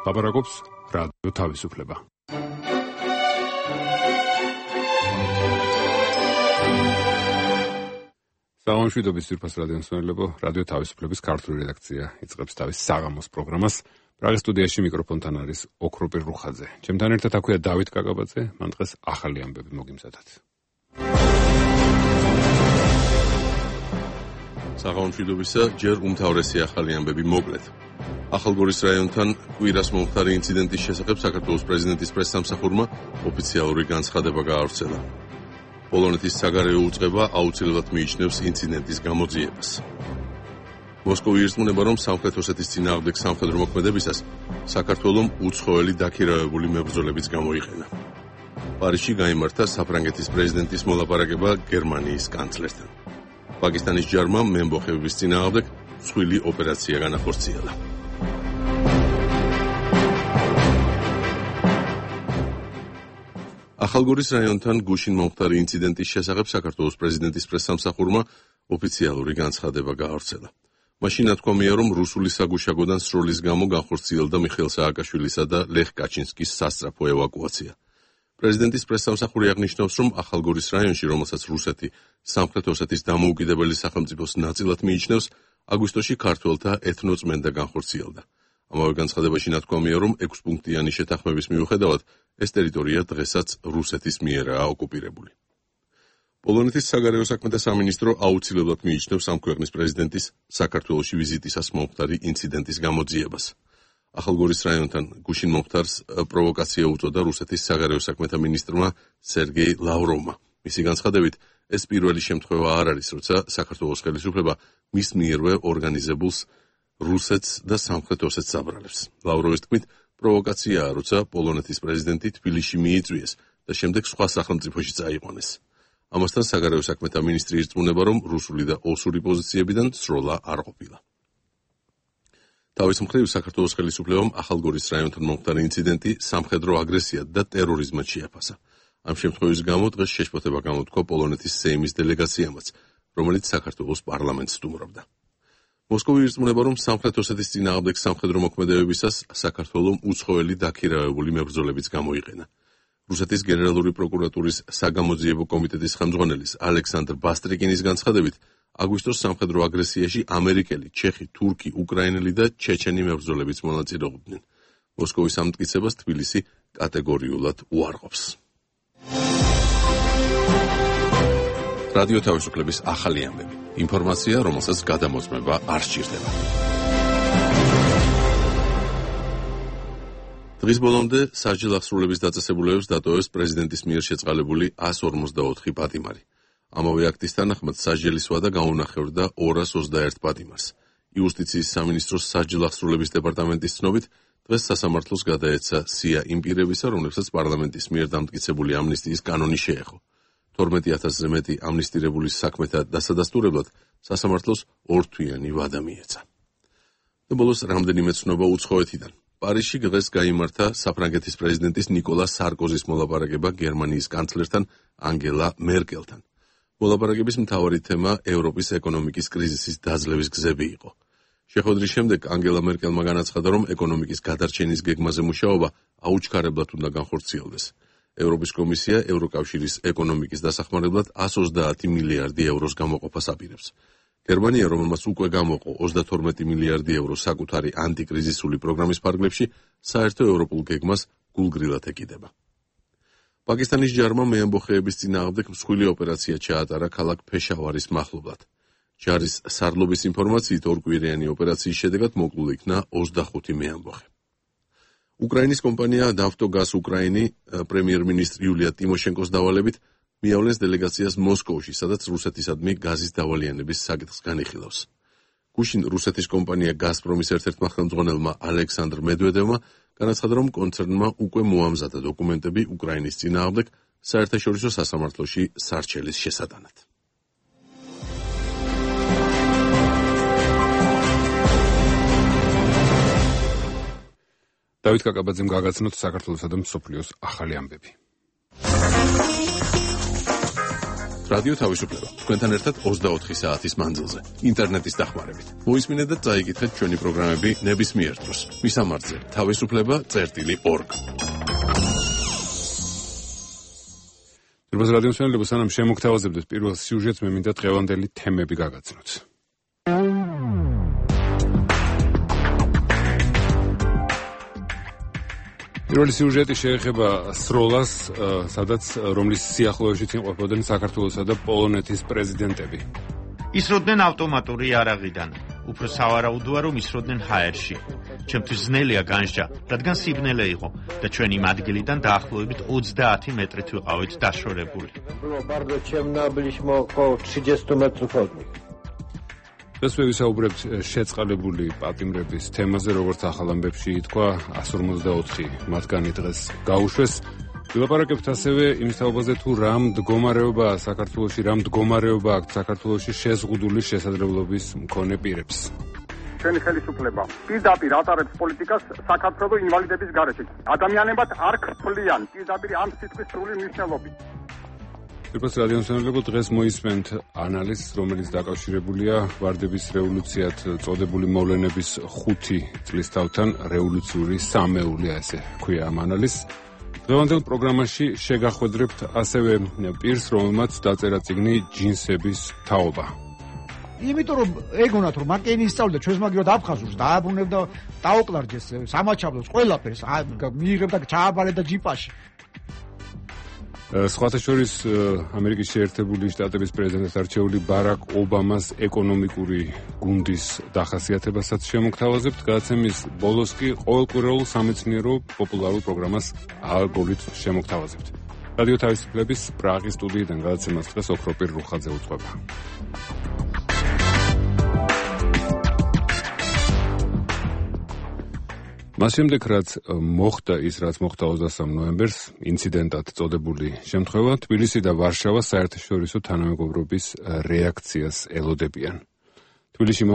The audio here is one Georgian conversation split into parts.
ლაპარაკობს რადიო თავისუფლება. სამშვიდობის ძვირფას რადიომსმენელებო, რადიო თავისუფლების ქართული რედაქცია იწყებს თავის საღამოს პროგრამას. პრაღის სტუდიაში მიკროფონთან არის ოქროპირ რუხაძე. ჩემთან ერთად აქვეა დავით კაკაბაძე, მან დღეს ახალი ამბები მოგიმზადათ. საღამომშვიდობისა, ჯერ უმთავრესი ახალი ამბები მოკლედ. ახალგორის რაიონთან კვირას მომხდარი ინციდენტის შესახებ საქართველოს პრეზიდენტის პრესსამსახურმა ოფიციალური განცხადება გაავრცელა. პოლონეთის საგარეო უწყება აუცილებლად მიიჩნევს ინციდენტის გამოძიებას. მოსკოვი ირწმუნება, რომ სამხრეთ ოსეთის წინააღმდეგ სამხედრო მოქმედებისას საქართველომ უცხოელი დაქირავებული მებრძოლებიც გამოიყენა. პარიზში გაიმართა საფრანგეთის პრეზიდენტის მოლაპარაკება გერმანიის კანცლერთან. პაკისტანის ჯარმა მემბოხეების წინააღმდეგ მსხვილი ოპერაცია განახორციელა. ახალგორის რაიონთან გუშინ მომხდარი ინციდენტის შესახებ საქართველოს პრეზიდენტის პრესსამსახურმა ოფიციალური განცხადება გაავრცელა. მაშინ ნათქვამია, რომ რუსული საგუშაგოდან სროლის გამო განხორციელდა მიხეილ სააკაშვილისა და ლეხ კაჩინსკის სასწრაფო ევაკუაცია. პრეზიდენტის პრესსამსახური აღნიშნავს, რომ ახალგორის რაიონში, რომელსაც რუსეთი სამხრეთ ოსეთის დამოუკიდებელი სახელმწიფოს ნაწილად მიიჩნევს, აგვისტოში ქართველთა ეთნოწმენდა განხორციელდა. ამავე განცხადებაში ნათქვამია, რომ 6-პუნქტიანი შეთანხმების მიუხედავად ეს ტერიტორია დღესაც რუსეთის მიერაა ოკუპირებული. პოლონეთის საგარეო საქმეთა სამინისტრო აუცილებლად მიიჩნევს ამ ქვეყნის პრეზიდენტის საქართველოში ვიზიტისას მომხდარი ინციდენტის გამოძიებას. ახალგორის რაიონთან გუშინ მომხდარს პროვოკაცია უწოდა რუსეთის საგარეო საქმეთა მინისტრმა სერგეი ლავროვმა. მისი განცხადებით, ეს პირველი შემთხვევა არ არის, როცა საქართველოს ხელისუფლება მის მიერვე ორგანიზებულს რუსეთს და სამხრეთ ოსეთს აბრალებს. ლავროვის თქმით, პროვოკაციაა, როცა პოლონეთის პრეზიდენტი თბილისში მიიწვიეს და შემდეგ სხვა სახელმწიფოში წაიყვანეს. ამასთან საგარეო საქმეთა მინისტრი ირწმუნება, რომ რუსული და ოსური პოზიციებიდან სროლა არ ყოფილა. თავის მხრივ საქართველოს ხელისუფლებამ ახალგორის რაიონთან მომხდარი ინციდენტი სამხედრო აგრესიად და ტერორიზმად შეაფასა. ამ შემთხვევის გამო დღეს შეშფოთება გამოთქვა პოლონეთის სეიმის დელეგაციამაც, რომელიც საქართველოს პარლამენტს სტუმრობდა. მოსკოვი ირწმუნება, რომ სამხრეთ ოსეთის წინააღმდეგ სამხედრო მოქმედებებისას საქართველომ უცხოელი დაქირავებული მებრძოლებიც გამოიყენა. რუსეთის გენერალური პროკურატურის საგამოძიებო კომიტეტის ხელმძღვანელის ალექსანდრ ბასტრიკინის განცხადებით, აგვისტოს სამხედრო აგრესიაში ამერიკელი, ჩეხი, თურქი, უკრაინელი და ჩეჩენი მებრძოლებიც მონაწილეობდნენ. მოსკოვის ამტკიცებას თბილისი კატეგორიულად უარყოფს. რადიო თავისუფლების ახალი ამბები. ინფორმაცია, რომელსაც გადამოწმება არ სჭირდება. დღის ბოლომდე სასჯელ აღსრულების დაწესებულებებს დატოვებს პრეზიდენტის მიერ შეწყალებული 144 პატიმარი. ამავე აქტის თანახმად სასჯელის ვადა გაუნახევრდა 221 პატიმარს. იუსტიციის სამინისტროს სასჯელ აღსრულების დეპარტამენტის ცნობით, დღეს სასამართლოს გადაეცა სია იმ პირებისა, რომლებსაც პარლამენტის მიერ დამტკიცებული ამნისტიის კანონი შეეხო. 12,000-ზე მეტი ამნისტირებული საქმეთა დასადასტურებლად სასამართლოს ორთვიანი ვადა მიეცა. და ბოლოს რამდენიმე ცნობა უცხოეთიდან. პარიზში დღეს გაიმართა საფრანგეთის პრეზიდენტის ნიკოლა სარკოზის მოლაპარაკება გერმანიის კანცლერთან ანგელა მერკელთან. მოლაპარაკების მთავარი თემა ევროპის ეკონომიკის კრიზისის დაძლევის გზები იყო. შეხვედრის შემდეგ ანგელა მერკელმა განაცხადა, რომ ეკონომიკის გადარჩენის გეგმაზე მუშაობა აუჩქარებლად უნდა განხორციელდეს. ევროპის კომისია ევროკავშირის ეკონომიკის დასახმარებლად 130 მილიარდი ევროს გამოყოფას აპირებს. გერმანია, რომელმაც უკვე გამოყო 32 მილიარდი ევრო საკუთარი ანტიკრიზისული პროგრამის ფარგლებში, საერთო ევროპულ გეგმას გულგრილად ეკიდება. პაკისტანის ჯარმა მეამბოხეების წინააღმდეგ მსხვილი ოპერაცია ჩაატარა ქალაქ ფეშავარის მახლობლად. ჯარის სარდლობის ინფორმაციით, ორკვირიანი ოპერაციის შედეგად მოკლულ იქნა 25 მეამბოხე. უკრაინის კომპანია ნავტოგაზ უკრაინი პრემიერ-მინისტრ იულია ტიმოშენკოს დავალებით მიავლენს დელეგაციას მოსკოვში, სადაც რუსეთისადმი გაზის დავალიანების საკითხს განიხილავს. გუშინ რუსეთის კომპანია გაზპრომის ერთ-ერთმა ხელმძღვანელმა ალექსანდრ მედვედევმა განაცხადა, რომ კონცერნმა უკვე მოამზადა დოკუმენტები უკრაინის წინააღმდეგ საერთაშორისო სასამართლოში სარჩელის შესატანად. დავით კაკაბაძემ გაგაცნოთ საქართველოსა და მსოფლიოს ახალი ამბები. რადიო თავისუფლება. თქვენთან ერთად 24 საათის მანძილზე. ინტერნეტის დახმარებით. მოისმინეთ და წაიკითხეთ ჩვენი პროგრამები ნებისმიერ დროს. მისამართზე თავისუფლება.org. როდესაც რადიოს მშენებლობა სანამ შემოგთავაზებდეთ პირველ სიუჟეტს, მე მინდა დღევანდელი თემები გაგაცნოთ. პირველი სიუჟეტი შეეხება სროლას, სადაც რომლის სიახლოვეშიც იმყოფებოდნენ საქართველოსა და პოლონეთის პრეზიდენტები. ისროდნენ ავტომატური იარაღიდან. უფრო სავარაუდოა, რომ ისროდნენ ჰაერში. ჩემთვის ძნელია განსჯა, რადგან სიბნელე იყო და ჩვენ იმ ადგილიდან დაახლოებით 30 მეტრით ვიყავით დაშორებული. Bardzo ciemno, byliśmy około 30 metrów od nich. ეს ვისაუბრებთ შეწყალებული პატიმრების თემაზე, როგორც ახალ ამბებში ითქვა, 154 მათგანი დღეს გაუშვეს. ვილაპარაკებთ ასევე იმის თაობაზე, თუ რა მდგომარეობაა საქართველოში, რა მდგომარეობა აქვს საქართველოში შეზღუდული შესაძლებლობის მქონე პირებს. ჩვენი ხელისუფლება პირდაპირ ატარებს პოლიტიკას საქართველოს ინვალიდების გარეშე. ადამიანებად არ ქფლიან პირდაპირ ამ სიტყვის სრული მნიშვნელობით. როგორც რადიოს მშენებლობა დღეს მოისმენთ ანალიზს, რომელიც დაკავშირებულია ვარდების რევოლუციად წოდებული მოვლენების 5 წლის თავთან რევოლუციური სამეული, ასე ქვია ამ ანალიზს. დღევანდელ პროგრამაში შეგახვედრებთ ასევე პირს, რომელმაც დაწერა წიგნი ჯინსების თაობა. იმიტომ რომ ეგონათ რომ მაკენი ისწავლდა ჩვენს მაგივრად აფხაზურს დააბრუნებდა დაოკლარჯეს სამაჩაბლოს ყველაფერს მიიღებდა ჩააბარებდა ჯიპაში. სხვათა შორის ამერიკის შეერთებული შტატების პრეზიდენტად არჩეული ბარაკ ობამას ეკონომიკური გუნდის დახასიათებასაც შემოგთავაზებთ. გადაცემის ბოლოს კი ყოველკვირეულ სამეცნიერო პოპულარულ პროგრამას ალგორითმს შემოგთავაზებთ. რადიო თავისუფლების პრაღის სტუდიიდან გადაცემას დღეს ოქროპირ რუხაძე უწყობა. მას შემდეგ, რაც მოხდა ის, რაც მოხდა 23 ნოემბერს, ინციდენტად წოდებული შემთხვევა, თბილისი და ვარშავა საერთაშორისო თანამეგობრობის რეაქციას ელოდებიან. თბილისში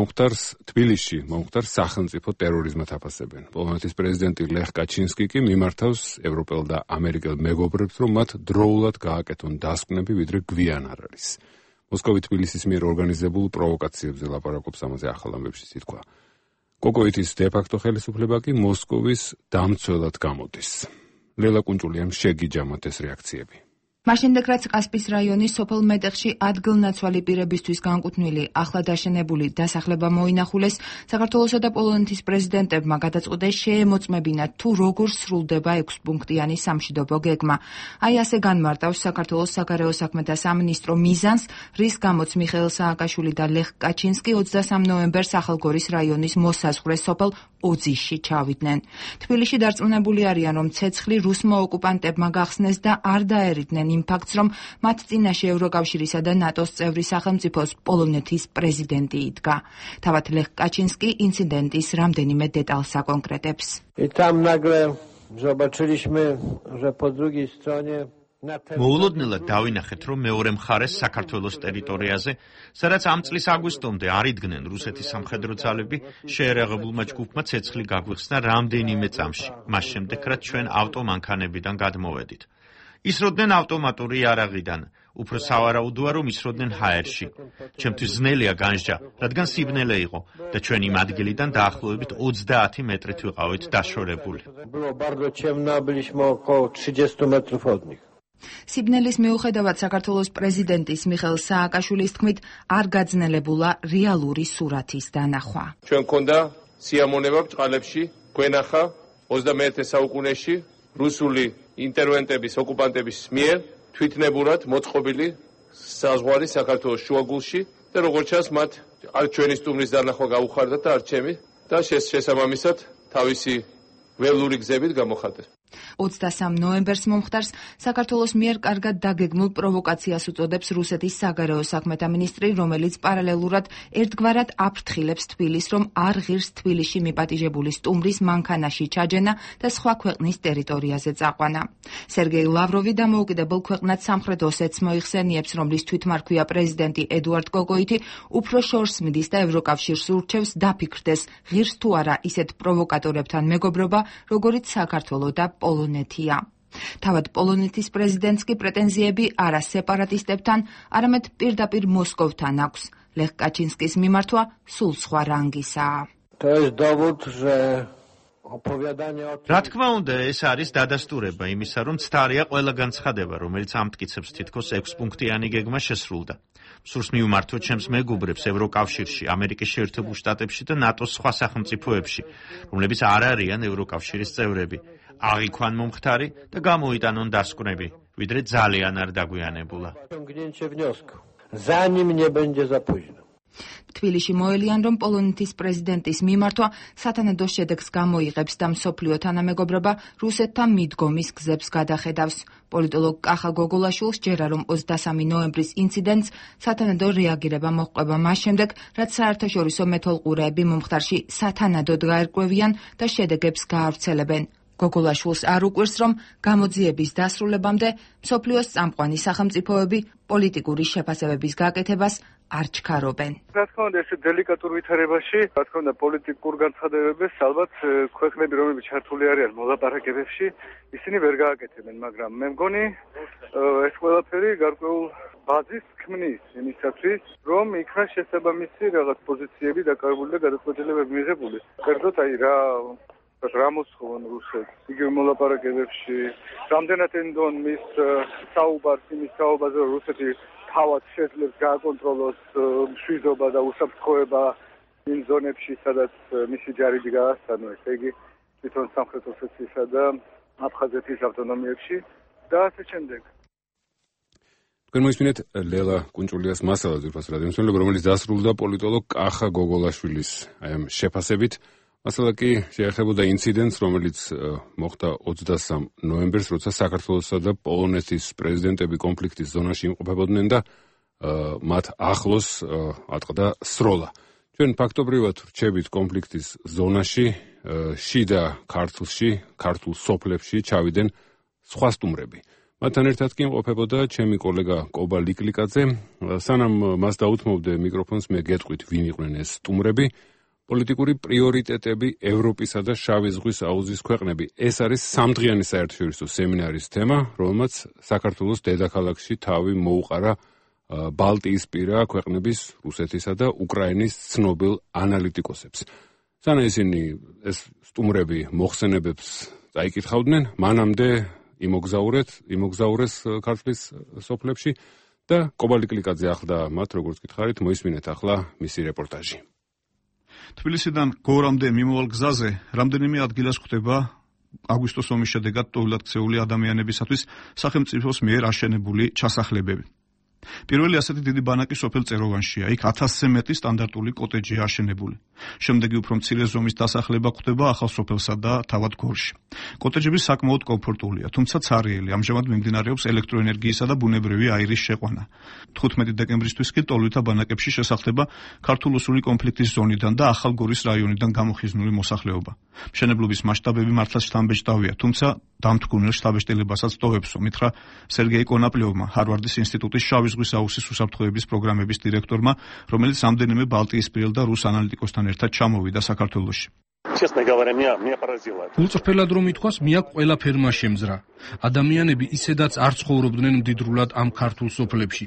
მომხდარს სახელმწიფო ტერორიზმად აფასებენ. პოლონეთის პრეზიდენტი ლეხ კაჩინსკი კი მიმართავს ევროპელ და ამერიკელ მეგობრებს, რომ მათ დროულად გააკეთონ დასკვნები, ვიდრე გვიან არ არის. მოსკოვი თბილისის მიერ ორგანიზებულ პროვოკაციებზე ლაპარაკობს ამაზე ახალ ამბებში ითქვა. კოკოიტის დე-ფაქტო ხელისუფლება კი მოსკოვის დამცველად გამოდის. ლელა კუნჭულიამ შეგიჯამოთ ეს რეაქციები. მაშინდე რაც კასპის რაიონის სოფელ მეტეხში ადგილნაცვალი პირებისთვის განკუთვნილი ახლად აშენებული დასახლება მოინახულეს, საქართველოსა და პოლონეთის პრეზიდენტებმა გადაწყვიტეს შეემოწმებინათ თუ როგორ სრულდება 6 პუნქტიანი სამშვიდობო გეგმა. აი ასე განმარტავს საქართველოს საგარეო საქმეთა სამინისტრო მიზანს, რის გამოც მიხეილ სააკაშვილი და ლეხ კაჩინსკი 23 ნოემბერს ახალგორის რაიონის მოსაზღვრე სოფელ ოძიში ჩავიდნენ. თბილისში დარწმუნებული არიან, რომ ცეცხლი რუსმა ოკუპანტებმა გახსნეს და არ დაერიდნენ იმ ფაქტს, რომ მათ წინაშე ევროკავშირისა და ნატოს წევრი სახელმწიფოს პოლონეთის პრეზიდენტი იდგა. თავად ლეხ კაჩინსკი ინციდენტის რამდენიმე დეტალს აკონკრეტებს. I tam nagle zobaczyliśmy, że po drugiej stronie მოულოდნელად დავინახეთ, რომ მეორე მხარეს საქართველოს ტერიტორიაზე, სადაც ამ წლის აგვისტომდე არ იდგნენ რუსეთის სამხედრო ძალები, შეერაღებულმა ჯგუფმა ცეცხლი გაგვიხსნა რამდენიმე წამში, მას შემდეგ, რაც ჩვენ ავტომანქანებიდან გადმოვედით. ისროდნენ ავტომატური იარაღიდან, უფრო სავარაუდოა, რომ ისროდნენ ჰაერში. ჩემთვის ძნელია განსჯა, რადგან სიბნელე იყო და ჩვენ იმ ადგილიდან დაახლოებით 30 მეტრით ვიყავით დაშორებული. Było bardzo ciemno, byliśmy około 30 metrów od nich. სიბნელის მიუხედავად საქართველოს პრეზიდენტის მიხეილ სააკაშვილის თქმით არ გაძნელებულა რეალური სურათის დანახვა. ჩვენ გქონდა სიამონება ბჭყალებში, გვენახა 21 საუკუნეში რუსული ინტერვენტების, ოკუპანტების მიერ თვითნებურად მოწყობილი საზღვარი საქართველოს შუაგულში და როგორც ჩანს, მათ არ ჩვენი სტუმრის დანახვა გაუხარდათ და არ ჩემი და შესაბამისად თავისი ველური გზებით გამოხატეს. 23 ნოემბერს მომხდარს საქართველოს მიერ კარგად დაგეგმულ პროვოკაციას უწოდებს რუსეთის საგარეო საქმეთა მინისტრი, რომელიც პარალელურად ერთგვარად აფრთხილებს თბილისს, რომ არ ღირს თბილისში მიპატიჟებული სტუმრის მანქანაში ჩაჯენა და სხვა ქვეყნის ტერიტორიაზე წაყვანა. სერგეი ლავროვი დამოუკიდებელ ქვეყნად სამხრეთ ოსეთს მოიხსენიებს, რომლის თვითმარქვია პრეზიდენტი ედუარდ კოკოიტი, უფრო შორს მიდის და ევროკავშირს ურჩევს დაფიქრდეს, ღირს თუ არა ისეთ პროვოკატორებთან მეგობრობა, როგორიც საქართველო და პოლონეთია. თავად პოლონეთის პრეზიდენტს კი პრეტენზიები არა სეპარატისტებთან, არამედ პირდაპირ მოსკოვთან აქვს. ლეხ კაჩინსკის მიმართვა სულ სხვა რანგისაა. რა თქმა უნდა, ეს არის დადასტურება იმისა, რომ ცდარია ყველა განცხადება, რომელიც ამტკიცებს თითქოს 6-პუნქტიანი გეგმა შესრულდა. სურს მივმართოთ ჩემს მეგობრებს ევროკავშირში, ამერიკის შეერთებულ შტატებში და ნატოს სხვა სახელმწიფოებში, რომლებიც არ არიან ევროკავშირის წევრები. აღიქვან მომხდარი და გამოიტანონ დასკვნები, ვიდრე ძალიან არ დაგვიანებულა. თბილისში მოელიან, რომ პოლონეთის პრეზიდენტის მიმართვა სათანადო შედეგს გამოიღებს და მსოფლიო თანამეგობრობა რუსეთთან მიდგომის გზებს გადახედავს. პოლიტოლოგ კახა გოგოლაშვილს ჯერა, რომ 23 ნოემბრის ინციდენტს სათანადო რეაგირება მოჰყვება მას შემდეგ, რაც საერთაშორისო მეთვალყურეები მომხდარში სათანადოდ გაერკვევიან და შედეგებს გაავრცელებენ. გოგოლაშვილს არ უკვირს, რომ გამოძიების დასრულებამდე მსოფლიოს წამყვანი სახელმწიფოები პოლიტიკური შეფასებების გაკეთებას არ ჩქარობენ. რა თქმა უნდა, ეს დელიკატურ ვითარებაში, რა თქმა უნდა, პოლიტიკურ განცხადებებს ალბათ ქვეყნები, რომლებიც ჩართული არიან მოლაპარაკებებში, ისინი ვერ გააკეთებენ, მაგრამ მე მგონი ეს ყველაფერი გარკვეულ ბაზის ქმნის იმისათვის, რომ იქნას შესაბამისი რაღაც პოზიციები დაკავებული და გადაწყვეტილებები მიღებული. კერძოდ აი რა მოსხოვენ რუსეთს იგივე მოლაპარაკებებში, რამდენად ენდონ მის საუბარს იმის საუბარზე, რომ რუსეთი თავად შეძლებს გააკონტროლოს მშვიდობა და უსაფრთხოება იმ ზონებში, სადაც მისი ჯარები გაასწანო, ესე იგი თვითონ სამხრეთ ოსეთიისა და აფხაზეთის ავტონომიებში და ასე შემდეგ. თქვენ მოისმინეთ ლელა კუნჭულიას მასალას ძვირფას რადიომსმენელებ, რომელიც დასრულდა პოლიტოლოგ კახა გოგოლაშვილის შეფასებით. მასალა კი შეეხებოდა ინციდენტს, რომელიც მოხდა 23 ნოემბერს, როცა საქართველოსა და პოლონეთის პრეზიდენტები კონფლიქტის ზონაში იმყოფებოდნენ და მათ ახლოს ატყდა სროლა. ჩვენ ფაქტობრივად რჩებით კონფლიქტის ზონაში, შიდა ქართლში, ქართულ სოფლებში ჩავიდნენ სხვა სტუმრები. მათთან ერთად კი იმყოფებოდა ჩემი კოლეგა კობა ლიკლიკაძე. სანამ მას დაუთმობდე მიკროფონს, მე გეტყვით, ვინ იყვნენ ეს სტუმრები. პოლიტიკური პრიორიტეტები ევროპისა და შავი ზღვის აუზის ქვეყნები. ეს არის სამდღიანი საერთაშორისო სემინარის თემა, რომელმაც საქართველოს დედაქალაქში თავი მოუყარა ბალტიისპირა ქვეყნების, რუსეთისა და უკრაინის ცნობილ ანალიტიკოსებს. სანამ ისინი ეს სტუმრები მოხსენებებს წაიკითხავდნენ, მანამდე იმოგზაურეს ქართლის სოფლებში და კობა ლიკლიკაძე ახლდა მათ, როგორც გითხარით, მოისმინეთ ახლა მისი რეპორტაჟი. თბილისიდან გორამდე მიმავალ გზაზე რამდენიმე ადგილას ხდება აგვისტოს ომის შედეგად ტოვლად ქცეული ადამიანებისათვის სახელმწიფოს მიერ აშენებული ჩასახლებები. პირველი ასეთი დიდი ბანაკი სოფელ წეროვანშია. იქ 1000-ზე მეტი სტანდარტული კოტეჯია აშენებული. შემდეგი უფრო მცირე ზომის დასახლება ხდება ახალ სოფელსა და თავად გორში. კოტეჯები საკმაოდ კომფორტულია, თუმცა ცარიელი. ამჟამად მიმდინარეობს ელექტროენერგიისა და ბუნებრივი აირის შეყვანა. 15 დეკემბრისთვის კი ტოლვითა ბანაკებში შესახდება ქართულ-რუსული კონფლიქტის ზონიდან და ახალ გორის რაიონიდან გამოხიზნული მოსახლეობა. მშენებლობის მასშტაბები მართლაც შთამბეჭდავია, თუმცა დამთგუნელ შთაბეჭდილებასაც ტოვებს, მითხრა სერგეი კონაპლიოვმა, ჰარვარდის ინსტიტუტის შავი ზღვის აუზის უსაფრთხოების პროგრამების დირექტორმა, რომელიც რამდენიმე ბალტიისპირელ და რუს ანალიტიკოსთან ერთად ჩამოვიდა საქართველოში. უწრფელად რომ ითქვას, მია ყველაფერმა შემძრა. ადამიანები ისედაც არ ცხოვრობდნენ მდიდრულად ამ ქართულ სოფლებში,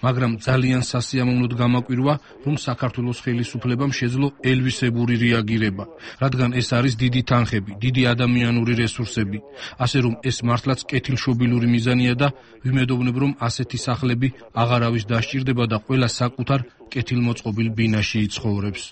მაგრამ ძალიან სასიამოვნოდ გამაკვირვა, რომ საქართველოს ხელისუფლებამ შეძლო ელვისებური რეაგირება, რადგან ეს არის დიდი თანხები, დიდი ადამიანური რესურსები, ასე რომ ეს მართლაც კეთილშობილური მიზანია და ვიმედოვნებ, რომ ასეთი სახლები აღარავის დასჭირდება და ყველა საკუთარ კეთილმოწყობილ ბინაში იცხოვრებს.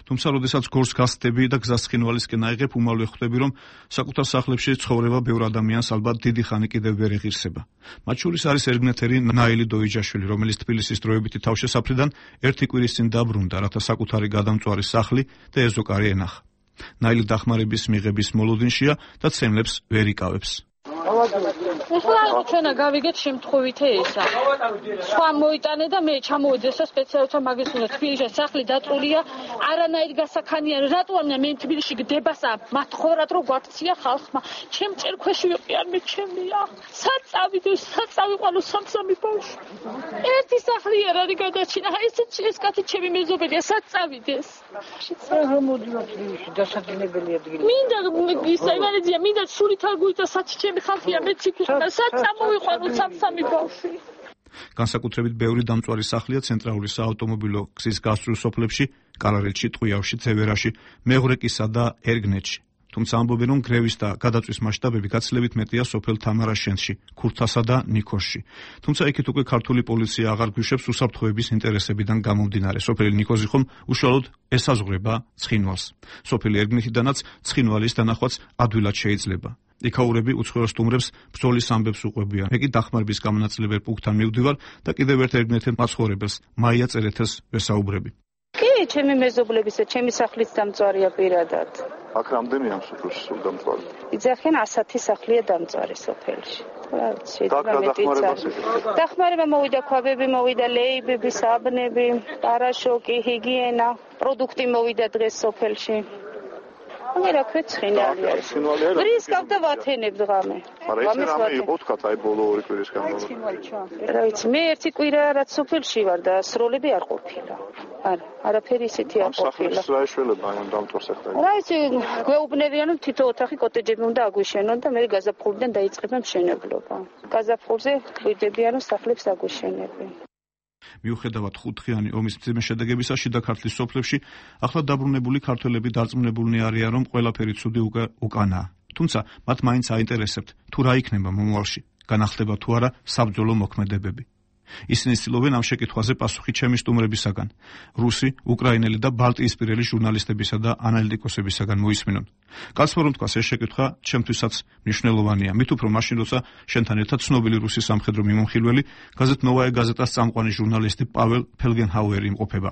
თუმცა, როდესაც გორს გასდები და გზას ცხინვალისკენ აიღებ, უმალვე ხვდები, რომ საკუთარ სახლებში ცხოვრება ბევრ ადამიანს ალბათ დიდი ხანი კიდევ ვერ ეღირსება. მათ შორის არის ერგნეთერი ნაილი დოიჯაშვილი, რომელიც თბილისის დროებითი თავშესაფრიდან ერთი კვირის წინ დაბრუნდა, რათა საკუთარი გადამწვარი სახლი და ეზოკარი ენახა. ნაილი დახმარების მიღების მოლოდინშია და ცემლებს ვერ იკავებს. ეხლა ჩვენა გავიგეთ შემთხვევითე ესა. სხვა მოიტანე და მე ჩამოვედი ესა სპეციალთა მაგის უნდა თბილისში სახლი დაწულია, არანაირ გასახანიან. რატო ამნა მე თბილისში გდებასა, მათ ხოვრად რო გვაქცია ხალხმა. ჩემ წერქვეში ვიყიან მე ჩემია. საწავიდე, საწავიყვანო სამსამი ბავშვი. ერთი სახლი არ არის გადაჩინა. აი ეს კაცი ჩემი მეზობელია, სად წავიდეს? მოდიოთ დასაძინებელი ადგილი. მინდა ისა იმანეძია, მინდა სულით არ გույდა საჩი ჩემი ხალხია, მეც იქნება. სად წამოვიყვანო სამსამი ბავშვი? განსაკუთრებით ბევრი დამწვარი სახლია ცენტრალური საავტომობილო გზის გასწვრივ სოფლებში, კალარელში, ტყვიავში, ცევერაში, მეღრეკისა და ერგნეთში. თუმცა ამბობენ, რომ გრევის და გადაწვის მასშტაბები გაცილებით მეტია სოფელ თამარაშენში, ქურთასა და ნიქოზში. თუმცა იქით უკვე ქართული პოლიცია აღარ გვიშვებს უსაფრთხოების ინტერესებიდან გამომდინარე. სოფელი ნიქოზი ხომ უშუალოდ ესაზღვრება ცხინვალს. სოფელი ერგნეთიდანაც ცხინვალის დანახვაც ადვილად შეიძლება. იქაურები უცხოელ სტუმრებს ბრძოლის ამბებს უყვებიან. მე კი დახმარების გამონაწილებელ პუნქტთან მივდივარ და კიდევ ერთ ერგნეთელ მაცხოვრებელს, მაია წერეთელს ვესაუბრები. კი, ჩემი მეზობლებისა, ჩემი სახლის დამწვარია პირადად. აქ რამდენია ამ სოფელში სულ დამწვარი? იძახიან 100 სახლია დამწვარი სოფელში. დახმარება მოვიდა, ქვაბები მოვიდა, ლეიბები, საბნები, პარაშოკი, ჰიგიენა, პროდუქტი მოვიდა დღეს სოფელში. რა ქვეცხინალი არის. რის გავდა ვათენებ დღამე. რამე იყო თქვა აი ბოლო 2 კვირის განმავლობაში. რა ვიცი, მე ერთი კვირა რაც სოფელში ვარ და სროლები არ ყოფილა. არა, არაფერი ისეთი არ ყოფილა. სახლის რა ეშველება ამ დამწვარ საქმეში. რა ვიცი, გვეუბნებიან რომ თითო ოთახი კოტეჯები უნდა აგვიშენონ და მე გაზაფხულიდან დაიწყება მშენებლობა. გაზაფხულზე გვიდებიან რომ სახლებს აგვიშენებენ. მიუხედავად ხუთხიანი ომის მძიმე შედეგებისა, შიდა ქართლის სოფლებში ახლა დაბრუნებული ქართველები დარწმუნებულნი არიან, რომ ყველაფერი ცუდი უკანაა. თუმცა მათ მაინც აინტერესებთ, თუ რა იქნება მომავალში, განახლდება თუ არა საბრძოლო მოქმედებები. ისინი ცდილობენ ამ შეკითხვაზე პასუხი ჩემი სტუმრებისაგან, რუსი, უკრაინელი და ბალტიისპირელი ჟურნალისტებისა და ანალიტიკოსებისაგან მოისმინონ. გასცემ რომ თქვას ეს შეკითხვა ჩემთვისაც მნიშვნელოვანია, მით უფრო მაშინ, როცა შენთან ერთად ცნობილი რუსი სამხედრო მიმომხილველი, გაზეთ ნოვაია გაზეტას წამყვანი ჟურნალისტი პაվել ფელგენჰაუერი იმყოფება.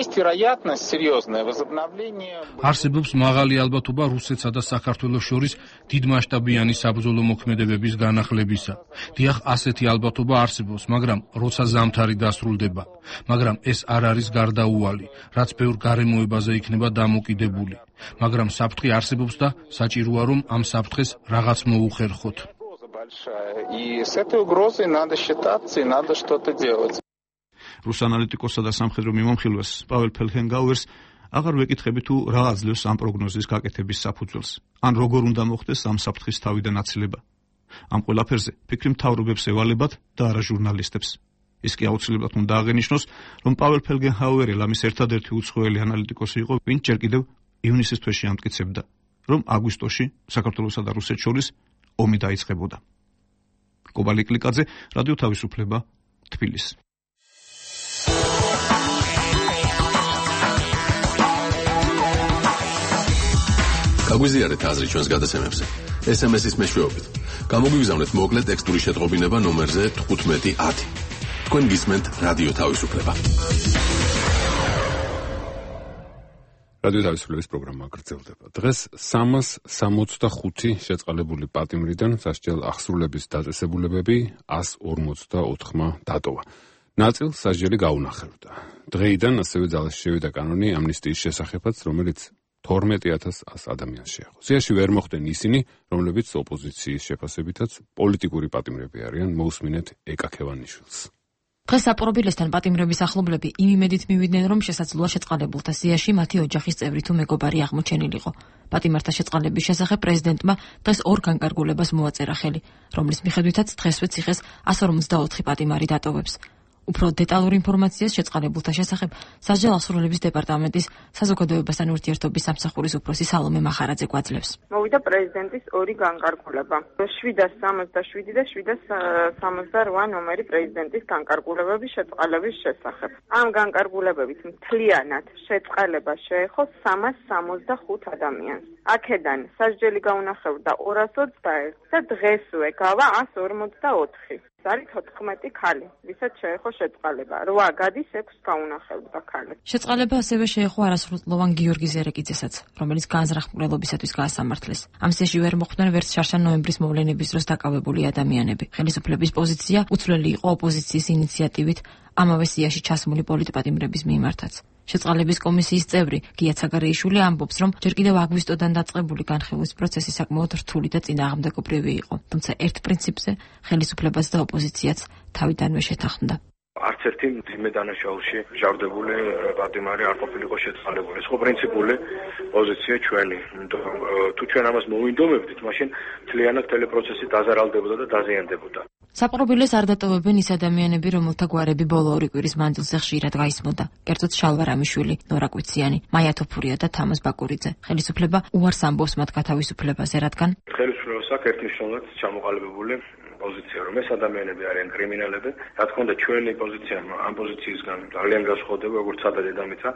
Есть вероятность серьезное возобновление. არსებობს მაღალი ალბათობა რუსეთსა და საქართველოს შორის დიდმასშტაბიანი საბრძოლო მოქმედებების განახლებისა. დიახ, ასეთი ალბათობა არსებობს, მაგრამ როცა ზამთარი დასრულდება. მაგრამ ეს არ არის გარდაუვალი, რაც ბევრ გარემოებაზე იქნება დამოკიდებული. მაგრამ საფრთხე არსებობს და საჭიროა რომ ამ საფრთხეს რაღაც მოუხერხოთ. И с этой угрозой надо считаться и надо что-то делать. რუს ანალიტიკოსსა და სამხედრო მიმომხილვეს პაվել ფელგენჰაუერს აღარ ვეკითხები თუ რა აძლევს ამ პროგნოზის გაკეთების საფუძველს, ან როგორ უნდა მოხდეს ამ საფრთხის თავიდან აცილება. ამ ყველაფერზე ფიქრი მთავრობებს ევალებათ და არა ჟურნალისტებს. ის კი აუცილებლად უნდა აღენიშნოს, რომ პაվել ფელგენჰაუერი ლამის ერთადერთი უცხოელი ანალიტიკოსი იყო, ვინც ჯერ კიდევ ივნისის თვეში ამტკიცებდა, რომ აგვისტოში საქართველოსა და რუსეთს შორის ომი დაიწყებოდა. კობალი კლიკაძე, რადიო თავისუფლება, თბილისი. გაგვიზიარეთ აზრი ჩვენს გადაცემებზე. SMS-ის მეშვეობით. გამოგვიგზავნეთ მოკლე ტექსტური შეტყობინება ნომერზე 1510. თქვენ გისმენთ რადიო თავისუფლება. რადიო თავისუფლების პროგრამა გრძელდება. დღეს 365 შეწყალებული პატიმრიდან სასჯელ აღსრულების დაწესებულებები 154-მა დატოვა. ნაწილს სასჯელი გაუნახებდა. დღეიდან ასევე ძალაში შევიდა კანონი ამნისტიის შესახებაც, რომელიც 12,100 ადამიანს შეეხო. სიაში ვერ მოხვდნენ ისინი, რომლებიც ოპოზიციის შეფასებითაც პოლიტიკური პატიმრები არიან, მოусმინეთ ეკა ქევანიშვილს. დღეს საპყრობილესთან პატიმრების ახლობლები იმ იმედით მივიდნენ, რომ შესაძლოა შეწყალებულთა სიაში მათი ოჯახის წევრი თუ მეგობარი აღმოჩენილიყო. პატიმართა შეწყალების შესახებ პრეზიდენტმა დღეს ორ განკარგულებას მოაწერა ხელი, რომლის მიხედვითაც დღესვე ციხეს 154 პატიმარი დატოვებს. უფრო დეტალურ ინფორმაციას შეწყალებულთა შესახებ სასჯელ აღსრულების დეპარტამენტის საზოგადოებასთან ურთიერთობის სამსახურის უფროსი სალომე მახარაძე გვაძლევს. მოვიდა პრეზიდენტის ორი განკარგულება. 767 და 768 ნომერი პრეზიდენტის განკარგულებების შეწყალების შესახებ. ამ განკარგულებებით მთლიანად შეწყალება შეეხო 365 ადამიანს. აქედან სასჯელი გაუნახებდა 221 და დღესვე გავა 144. არის 14 ქალი, ვისაც შეეხო შეწყალება. 8 გადის 6 გაუნახებდა ქალი. შეწყალება ასევე შეეხო არასრულწლოვან გიორგი ზერეკიძესაც, რომელიც განზრახმყრელობისათვის გაასამართლეს. ამ სიაში ვერ მოხვდნენ ვერც შარშან ნოემბრის მოვლენების დროს დაკავებული ადამიანები. ხელისუფლების პოზიცია უცვლელი იყო ოპოზიციის ინიციატივით ამავე სიაში ჩასმული პოლიტპატიმრების მიმართაც. შეწყალების კომისიის წევრი გია ცაგარეიშვილი ამბობს, რომ ჯერ კიდევ აგვისტოდან დაწყებული განხილვის პროცესი საკმაოდ რთული და წინააღმდეგობრივი იყო. თუმცა ერთ პრინციპზე ხელისუფლებას და ოპოზიციაც თავიდანვე შეთანხმდა. არც ერთი მძიმე დანაშაულში ჟავდებული პატიმარი არ ყოფილიყო შეწყალებული. ეს ხო პრინციპული პოზიცია ჩვენი. თუ ჩვენ ამას მოვინდომებდით, მაშინ მთლიანად ტელეპროცესი დაზარალდებოდა და დაზიანდებოდა. საპყრობილეს არ დატოვებენ ის ადამიანები, რომელთა გვარები ბოლო 2 კვირის მანძილზე ხშირად გაისმოდა. კერძოდ შალვა რამიშვილი, ნორა კვიციანი, მაია თოფურია და თამაზ ბაკურიძე. ხელისუფლება უარს ამბობს მათ გათავისუფლებაზე, რადგან ხელისუფლებას აქვს ერთნიშნულად ჩამოყალიბებული პოზიცია, რომ ეს ადამიანები არიან კრიმინალები. რა თქმა უნდა, ჩვენი პოზიცია ამ პოზიციისგან ძალიან განსხვავდება, როგორც სადა დედამიწა.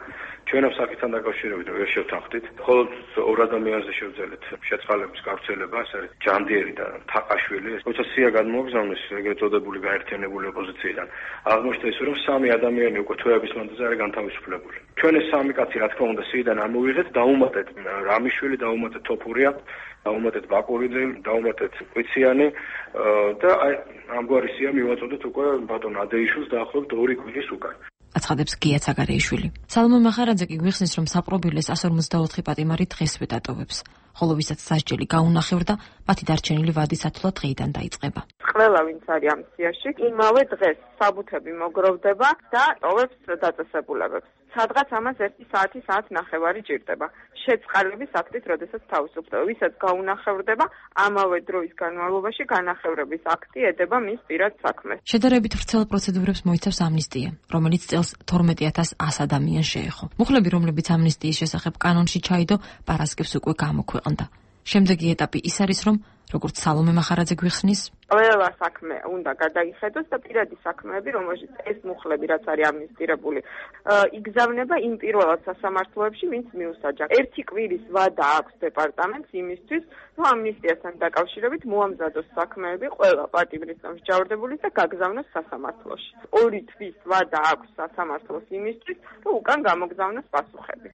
ჩვენ ამ საკითხთან დაკავშირებით ვერ შევთანხმდით. მხოლოდ 2 ადამიანზე შევძელეთ შეწყალების გავრცელება, ეს არის ჯანდიერი და თაყაშვილი. როცა სია გადმოგზავნეს ეგრეთ წოდებული გაერთიანებული ოპოზიციიდან, აღმოჩნდა ის, რომ 3 ადამიანი უკვე თვეების მანძილზე არის განთავისუფლებული. ჩვენ ეს 3 კაცი, რა თქმა უნდა, სიიდან ამოვიღეთ, დაუმატეთ რამიშვილი, დაუმატეთ თოფურია, დაუმატეთ ბაკურიძე, დაუმატეთ კვიციანი და აი ამგვარი სია მივაწოდეთ უკვე ბატონ ადეიშვილს დაახლოებით 2 კვირის უკან. აცხადებს გია ცაგარეიშვილი. სალომე მახარაძე კი გვიხსნის, რომ საპყრობილეს 154 პატიმარი დღესვე დატოვებს, ხოლო ვისაც სასჯელი გაუნახევრდა, მათი დარჩენილი ვადი სათვლად დღეიდან დაიწყება. ყველა ვინც არის ამ სიაში, იმავე დღეს საბუთები მოგროვდება და ტოვებს დაწესებულებებს. სადღაც ამას 1 საათი, საათ ნახევარი ჭირდება. შეწყალების აქტით, როდესაც თავისუფლდება, ვისაც გაუნახევრდება, ამავე დროის განმავლობაში განახევრების აქტი ედება მის პირად საქმეს. შედარებით ვრცელ პროცედურებს მოიცავს ამნისტია, რომელიც წელს 12100 ადამიანს შეეხო. მუხლები, რომლებიც ამნისტიის შესახებ კანონში ჩაიდო, პარასკევს უკვე გამოქვეყნდა. შემდეგი ეტაპი ის არის, რომ როგორც სალომე მახარაძე გვიხსნის, ყველა საქმე უნდა გადაიხედოს და პირადი საქმეები, რომელშიც ეს მუხლები რაც არის ამნისტირებული, იგზავნება იმ პირველად სასამართლოებში, ვინც მიუსაჯა. 1 კვირის ვადა აქვს დეპარტამენტს იმისთვის, რომ ამნისტიასთან დაკავშირებით მოამზადოს საქმეები ყველა პატიმრის მსჯავრდებულის და გაგზავნოს სასამართლოში. 2 თვის ვადა აქვს სასამართლოს იმისთვის, რომ უკან გამოგზავნოს პასუხები.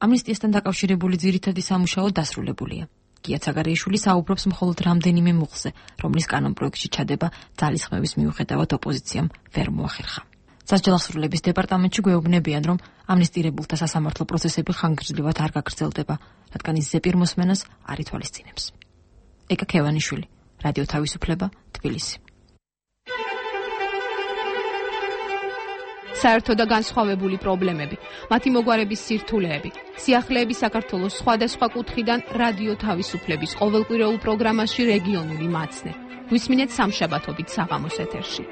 ამნისტიასთან დაკავშირებული ძირითადი სამუშაო დასრულებულია. გია ცაგარეიშვილი საუბრობს მხოლოდ რამდენიმე მუხლზე, რომლის კანონპროექტში ჩადება ძალისხმევის მიუხედავად ოპოზიციამ ვერ მოახერხა. სასჯელახსრულების დეპარტამენტში გვეუბნებიან, რომ ამნისტირებულთა სასამართლო პროცესები ხანგრძლივად არ გაგრძელდება, რადგან ის ზეპირ მოსმენას არ ითვალისწინებს. ეკა ქევანიშვილი, რადიო თავისუფლება, თბილისი. საერთო და განსხვავებული პრობლემები, მათი მოგვარების სირთულეები, სიახლეები საქართველოს სხვადასხვა კუთხიდან რადიო თავისუფლების ყოველკვირეულ პროგრამაში რეგიონული მაცნე. გვისმინეთ სამშაბათობით საღამოს ეთერში.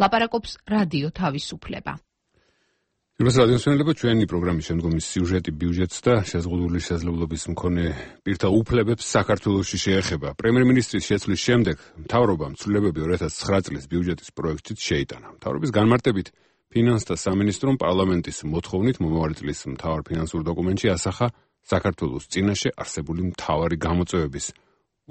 ლაპარაკობს რადიო თავისუფლება. იმას რადიოსმენელებო, ჩვენი პროგრამის შემდგომი სიუჟეტი ბიუჯეტს და შეზღუდული შესაძლებლობის მქონე პირთა უფლებებს საქართველოში შეეხება. პრემიერ-მინისტრის შეცვლის შემდეგ მთავრობამ ცვლილებები 2009 წლის ბიუჯეტის პროექტშიც შეიტანა. მთავრობის განმარტებით ფინანსთა სამინისტრომ პარლამენტის მოთხოვნით მომავალი წლის მთავარ ფინანსურ დოკუმენტში ასახა საქართველოს წინაშე არსებული მთავარი გამოწვევების,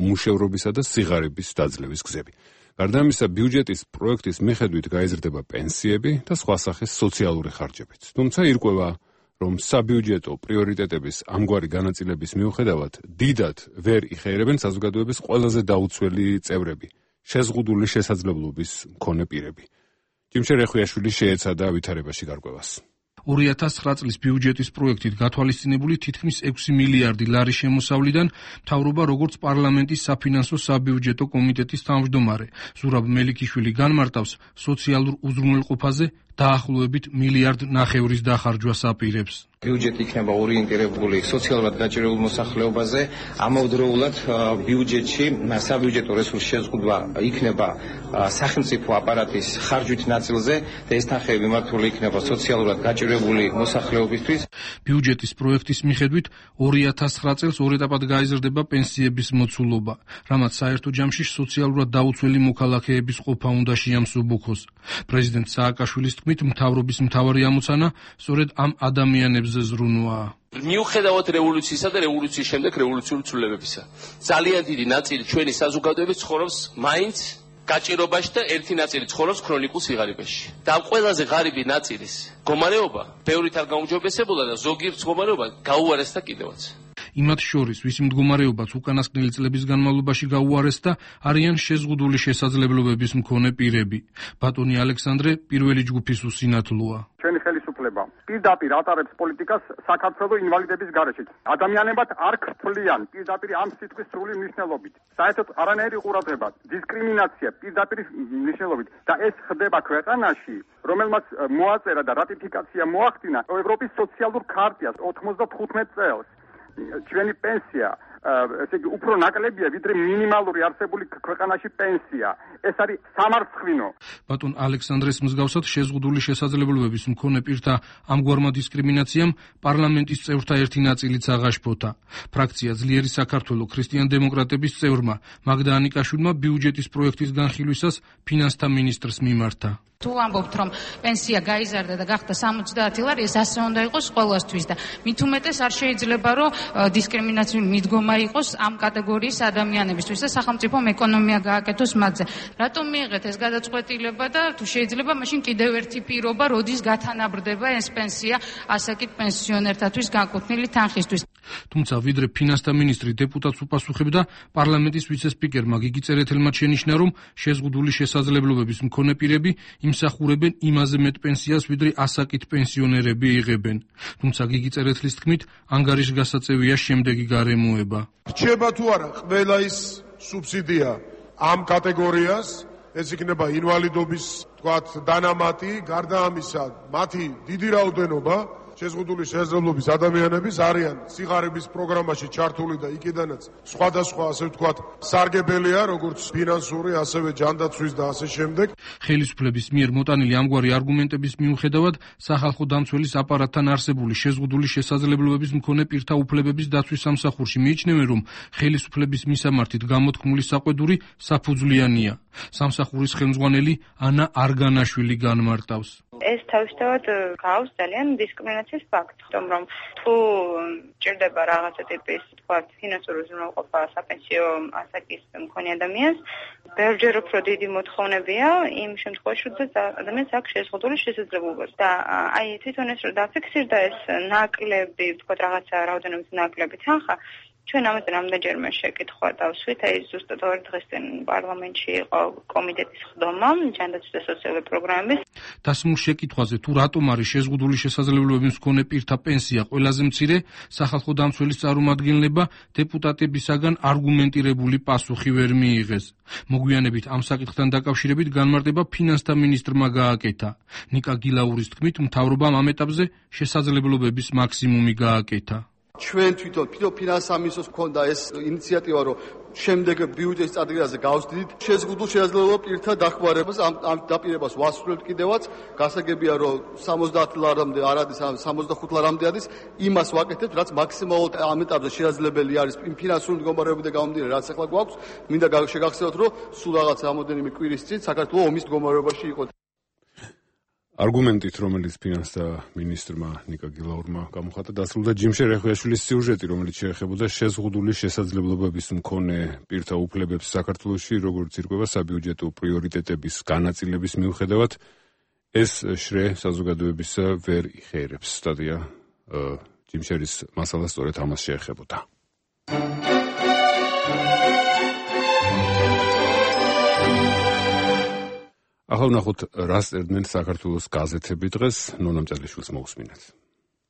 უმუშევრობისა და სიღარიბის დაძლევის გზები. გარდა ამისა, ბიუჯეტის პროექტის მიხედვით გაიზრდება პენსიები და სხვა სახის სოციალური ხარჯებიც. თუმცა ირკვევა, რომ საბიუჯეტო პრიორიტეტების ამგვარი განაწილების მიუხედავად დიდად ვერ იხეირებენ საზოგადოების ყველაზე დაუცველი წევრები, შეზღუდული შესაძლებლობის მქონე პირები. ჯიმშე რეხვიაშვილი შეეცადა ვითარებაში გარკვევას. 2009 წლის ბიუჯეტის პროექტით გათვალისწინებული თითქმის 6 მილიარდი ლარის შემოსავლიდან მთავრობა როგორც პარლამენტის საფინანსო საბიუჯეტო კომიტეტის თავმჯდომარე ზურაბ მელიქიშვილი განმარტავს, სოციალურ უზრუნველყოფაზე დაახლოებით 1,5 მილიარდის დახარჯვას აპირებს. ბიუჯეტი იქნება ორიენტირებული სოციალურად გაჭირებულ მოსახლეობაზე, ამავდროულად ბიუჯეტში საბიუჯეტო რესურსის შეზღუდვა იქნება სახელმწიფო აპარატის ხარჯვით ნაწილზე და ეს თანხები მართული იქნება სოციალურად გაჭირებული მოსახლეობისთვის. ბიუჯეტის პროექტის მიხედვით 2009 წელს 2 ეტაპად გაიზრდება პენსიების მოცულობა, რამაც საერთო ჯამში სოციალურად დაუცველი მოქალაქეების ყოფა უნდა შეამსუბუქოს. პრეზიდენტ სააკაშვილის თქმით, მთავრობის მთავარი ამოცანა სწორედ ამ ადამიანებზე ზრუნვაა. მიუხედავად რევოლუციისა და რევოლუციის შემდეგ რევოლუციური ცვლილებებისა, ძალიან დიდი ნაწილი ჩვენი საზოგადოების ცხოვრობს მაინც გაჭირობაში და ერთი ნაწილი ცხოვრობს ქრონიკულ სიღარიბეში. და ამ ყველაზე ღარიბი ნაწილის მდგომარეობა ბევრით არ გაუმჯობესებულა და ზოგიერთ მდგომარეობა გაუარესდა კიდევაც. იმათ შორის, ვისი მდგომარეობაც უკანასკნელი წლების განმავლობაში გაუარესდა, არიან შეზღუდული შესაძლებლობების მქონე პირები. ბატონი ალექსანდრე პირველი ჯგუფის უსინათლოა. ჩვენი ხელისუფლება განსახლება პირდაპირ ატარებს პოლიტიკას საქართველოს ინვალიდების გარეშე. ადამიანებად არ ქფლიან პირდაპირ ამ სიტყვის სრული მნიშვნელობით. საერთოდ არანაირი ყურადღება, დისკრიმინაცია პირდაპირ მნიშვნელობით და ეს ხდება ქვეყანაში, რომელმაც მოაწერა და რატიფიკაცია მოახდინა ევროპის სოციალურ ქარტიას 95 წელს. ჩვენი პენსია ესე იგი უფრო ნაკლებია ვიდრე მინიმალური არსებული ქვეყანაში პენსია. ეს არის სამარცხვინო. ბატონ ალექსანდრეს მსგავსად შეზღუდული შესაძლებლობების მქონე პირთა ამგვარმა დისკრიმინაციამ პარლამენტის წევრთა ერთი ნაწილიც აღაშფოთა. ფრაქცია ძლიერი საქართველო ქრისტიან-დემოკრატების წევრმა მაგდა ანიკაშვილმა ბიუჯეტის პროექტის განხილვისას ფინანსთა მინისტრს მიმართა. თუ ამბობთ რომ პენსია გაიზარდა და გახდა 70 ლარი, ეს ასე უნდა იყოს ყველასთვის და მით უმეტეს არ შეიძლება რომ დისკრიმინაციული მიდგომა იყოს ამ კატეგორიის ადამიანებისთვის და სახელმწიფომ ეკონომია გააკეთოს მათზე. რატომ მიიღეთ ეს გადაწყვეტილება და თუ შეიძლება მაშინ კიდევ ერთი პირობა, როდის გათანაბრდება ეს პენსია ასაკით პენსიონერთათვის განკუთვნილი თანხისთვის. თუმცა ვიდრე ფინანსთა მინისტრი დეპუტატს უპასუხებდა, პარლამენტის ვიცე-სპიკერმა გიგი წერეთელმა შენიშნა, რომ შეზღუდული შესაძლებლობების მქონე პირები იმსახურებენ იმაზე მეტ პენსიას, ვიდრე ასაკით პენსიონერები იღებენ. თუმცა გიგი წერეთლის თქმით, ანგარიშგასაწევია შემდეგი გარემოება. რჩება თუ არა ყველა ის სუბსიდია ამ კატეგორიას, ეს იქნება ინვალიდობის, თქვათ, დანამატი, გარდა ამისა, მათი დიდი რაოდენობა შეზღუდული შესაძლებლობის ადამიანების არიან სიღარიბის პროგრამაში ჩართული და იქიდანაც სხვადასხვა ასე ვთქვათ სარგებელია, როგორც ფინანსური, ასევე ჯანდაცვის და ასე შემდეგ. ხელისუფლების მიერ მოტანილი ამგვარი არგუმენტების მიუხედავად, სახალხო დამცველის აპარატთან არსებული შეზღუდული შესაძლებლობების მქონე პირთა უფლებების დაცვის სამსახურში მიიჩნევენ, რომ ხელისუფლების მისამართით გამოთქმული საყვედური საფუძვლიანია. სამსახურის ხელმძღვანელი ანა არგანაშვილი განმარტავს. ეს თავისთავად გავს ძალიან დისკრიმინაციის ფაქტს, რომ თუ ჭირდება რაღაცა ტიპის, თქვათ, ფინანსური უზრუნველყოფა საპენსიო ასაკის მქონე ადამიანს, ბევრჯერ უფრო დიდი მოთხოვნებია იმ შემთხვევაში, როდესაც ადამიანს აქვს შეზღუდული შესაძლებლობა. და აი თვითონ ეს რომ დაფიქსირდა ეს ნაკლები, თქვათ, რაღაცა რაოდენობის ნაკლები თანხა, ჩვენ ამაზე რამდენჯერმე შეკითხვა დავსვით, აი ზუსტად ორ დღეს წინ პარლამენტში იყო კომიტეტის ხდომა ჯანდაცვის და სოციალური პროგრამების. დასმულ შეკითხვაზე თუ რატომ არის შეზღუდული შესაძლებლობების მქონე პირთა პენსია ყველაზე მცირე, სახალხო დამცველის წარმომადგენლება დეპუტატებისაგან არგუმენტირებული პასუხი ვერ მიიღეს. მოგვიანებით ამ საკითხთან დაკავშირებით განმარტება ფინანსთა მინისტრმა გააკეთა. ნიკა გილაურის თქმით, მთავრობამ ამ ეტაპზე შესაძლებლობების მაქსიმუმი გააკეთა. ჩვენ თვითონ ფინანსთა მინისტრს ჰქონდა ეს ინიციატივა, რომ შემდეგ ბიუჯეტის წარდგენაზე გავსდიდით შეზღუდულ შესაძლებლობა პირთა დახმარებას, ამ დაპირებას ვასრულებთ კიდევაც. გასაგებია, რომ 70 ლარამდე არ არის, 65 ლარამდე არის, იმას ვაკეთებთ, რაც მაქსიმალურად ამ ეტაპზე შესაძლებელი არის იმ ფინანსური მდგომარეობიდან გამომდინარე, რაც ახლა გვაქვს. მინდა შეგახსენოთ, რომ სულ რაღაც რამოდენიმე კვირის წინ საქართველოს ომის მდგომარეობაში იყო. არგუმენტით, რომელიც ფინანსთა მინისტრმა ნიკა გილაურმა გამოხატა, დასრულდა ჯიმშე რეხვიაშვილის სიუჟეტი, რომელიც შეეხებოდა შეზღუდული შესაძლებლობების მქონე პირთა უფლებებს საქართველოში, როგორც ირკვევა საბიუჯეტო პრიორიტეტების განაწილების მიუხედავად, ეს შრე საზოგადოებისა ვერ იხერებს. სტატია ჯიმშერის მასალა სწორედ ამას შეეხებოდა. ახლა ვნახოთ, რა წერდნენ საქართველოს გაზეთები დღეს, ნონა მწერლიშვილს მოусმინეთ.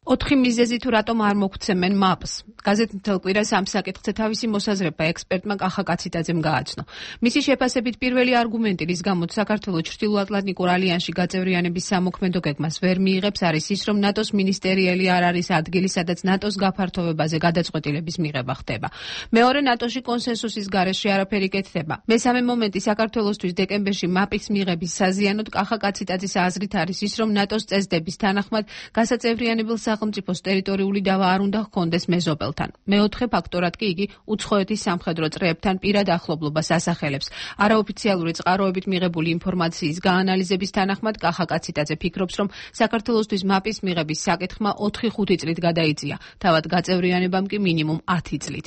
4 მიზეზი თუ რატომ არ მოგვცემენ მაპს. გაზეთი მთელ კვირას ამ საკითხზე თავისი მოსაზრება ექსპერტმა კახა კაციტაძემ გააცნო. მისი შეფასებით პირველი არგუმენტი, რის გამოც საქართველოს ჩრდილოატლანტიკურ ალიანსში გაწევრიანების სამოქმედო გეგმას ვერ მიიღებს, არის ის, რომ ნატოს მინისტერიელი არ არის ადგილი, სადაც ნატოს გაფართოვებაზე გადაწყვეტილების მიღება ხდება. მეორე, ნატოში კონსენსუსის გარეშე არაფერი კეთდება. მესამე მომენტი, საქართველოსთვის დეკემბერში მაპის მიღების საზიანოდ კახა კაციტაძის აზრით არის ის, რომ ნატოს წესდების თანახმად გასაწევრიანებელ სახელმწიფოს ტერიტორიული დავა არ უნდა ჰქონდეს მეზობელთან. მეოთხე ფაქტორად კი იგი უცხოეთის სამხედრო წრეებთან პირად ახლობლობას ასახელებს. არაოფიციალური წყაროებით მიღებული ინფორმაციის გაანალიზების თანახმად კახა კაციტაძე ფიქრობს, რომ საქართველოსთვის მაპის მიღების საკითხმა 4-5 წლით გადაიწია, თავად გაწევრიანებამ კი მინიმუმ 10 წლით.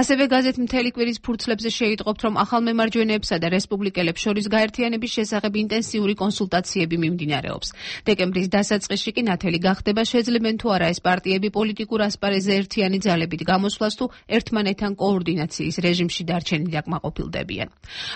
ასევე გაზეთ მთელი კვირის ფურცლებზე შეიტყობთ, რომ ახალმემარჯვენეებსა და რესპუბლიკელებს შორის გაერთიანების შესახებ ინტენსიური კონსულტაციები მიმდინარეობს. დეკემბრის დასაწყისში კი ნათელი გახდება, შეძლებენ იცნობენ თუ არა ეს პარტიები პოლიტიკურ ასპარეზზე ერთიანი ძალებით გამოსვლას თუ ერთმანეთთან კოორდინაციის რეჟიმში დარჩენილ აკმაყოფილდებიან.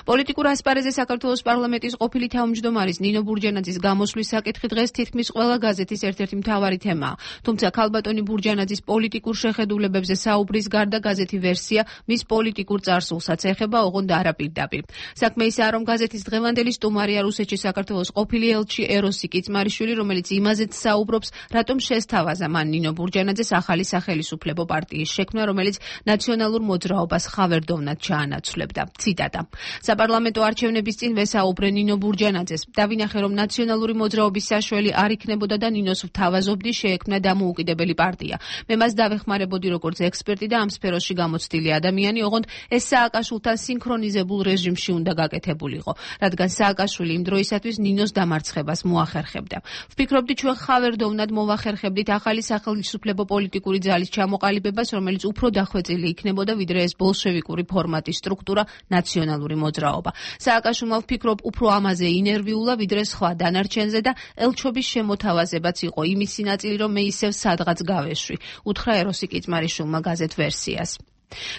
პოლიტიკურ ასპარეზზე საქართველოს პარლამენტის ყოფილი თავმჯდომარის ნინო ბურჯანაძის გამოსვლის საკითხი დღეს თითქმის ყველა გაზეთის ერთ-ერთი მთავარი თემაა. თუმცა ქალბატონი ბურჯანაძის პოლიტიკურ შეხედულებებზე საუბრის გარდა გაზეთი ვერსია მის პოლიტიკურ წარსულსაც ეხება, ოღონდ არა პირდაპირ. საქმე ისაა, რომ გაზეთის დღევანდელი სტუმარია რუსეთში საქართველოს ყოფილი ელჩი ეროსი კიწმარიშვილი, რომელიც იმაზეც საუბრობს, რატომ შესთავაზა მან ნინო ბურჯანაძეს ახალი სახელისუფლებო პარტიის შექმნა, რომელიც ნაციონალურ მოძრაობას ხავერდოვნად ჩაანაცვლებდა. ციტატა: საპარლამენტო არჩევნების წინ ვესაუბრე ნინო ბურჯანაძეს. დავინახე, რომ ნაციონალური მოძრაობის საშველი არ იქნებოდა და ნინოს ვთავაზობდი შეექმნა დამოუკიდებელი პარტია. მე მას დავეხმარებოდი როგორც ექსპერტი და ამ სფეროში გამოცდილი ადამიანი, ოღონდ ეს სააკაშვილთან სინქრონიზებულ რეჟიმში უნდა გაკეთებულიყო, რადგან სააკაშვილი იმ დროისათვის ნინოს დამარცხებას მოახერხებდა. ვფიქრობდი, ჩვენ ხავერდოვნად მოვახერხებდით ახალი სახელმწიფო პოლიტიკური ძალის ჩამოყალიბებას, რომელიც უფრო დახვეწილი იქნებოდა, ვიდრე ეს ბოლშევიკური ფორმატის სტრუქტურა ნაციონალური მოძრაობა. სააკაშვილმა ვფიქრობ უფრო ამაზე ინერვიულა, ვიდრე სხვა დანარჩენზე და ელჩობის შემოთავაზებაც იყო იმისი ნაწილი, რომ მე ისევ სადღაც გავეშვი, უთხრა ეროსი კიწმარიშვილმა გაზეთ ვერსიას.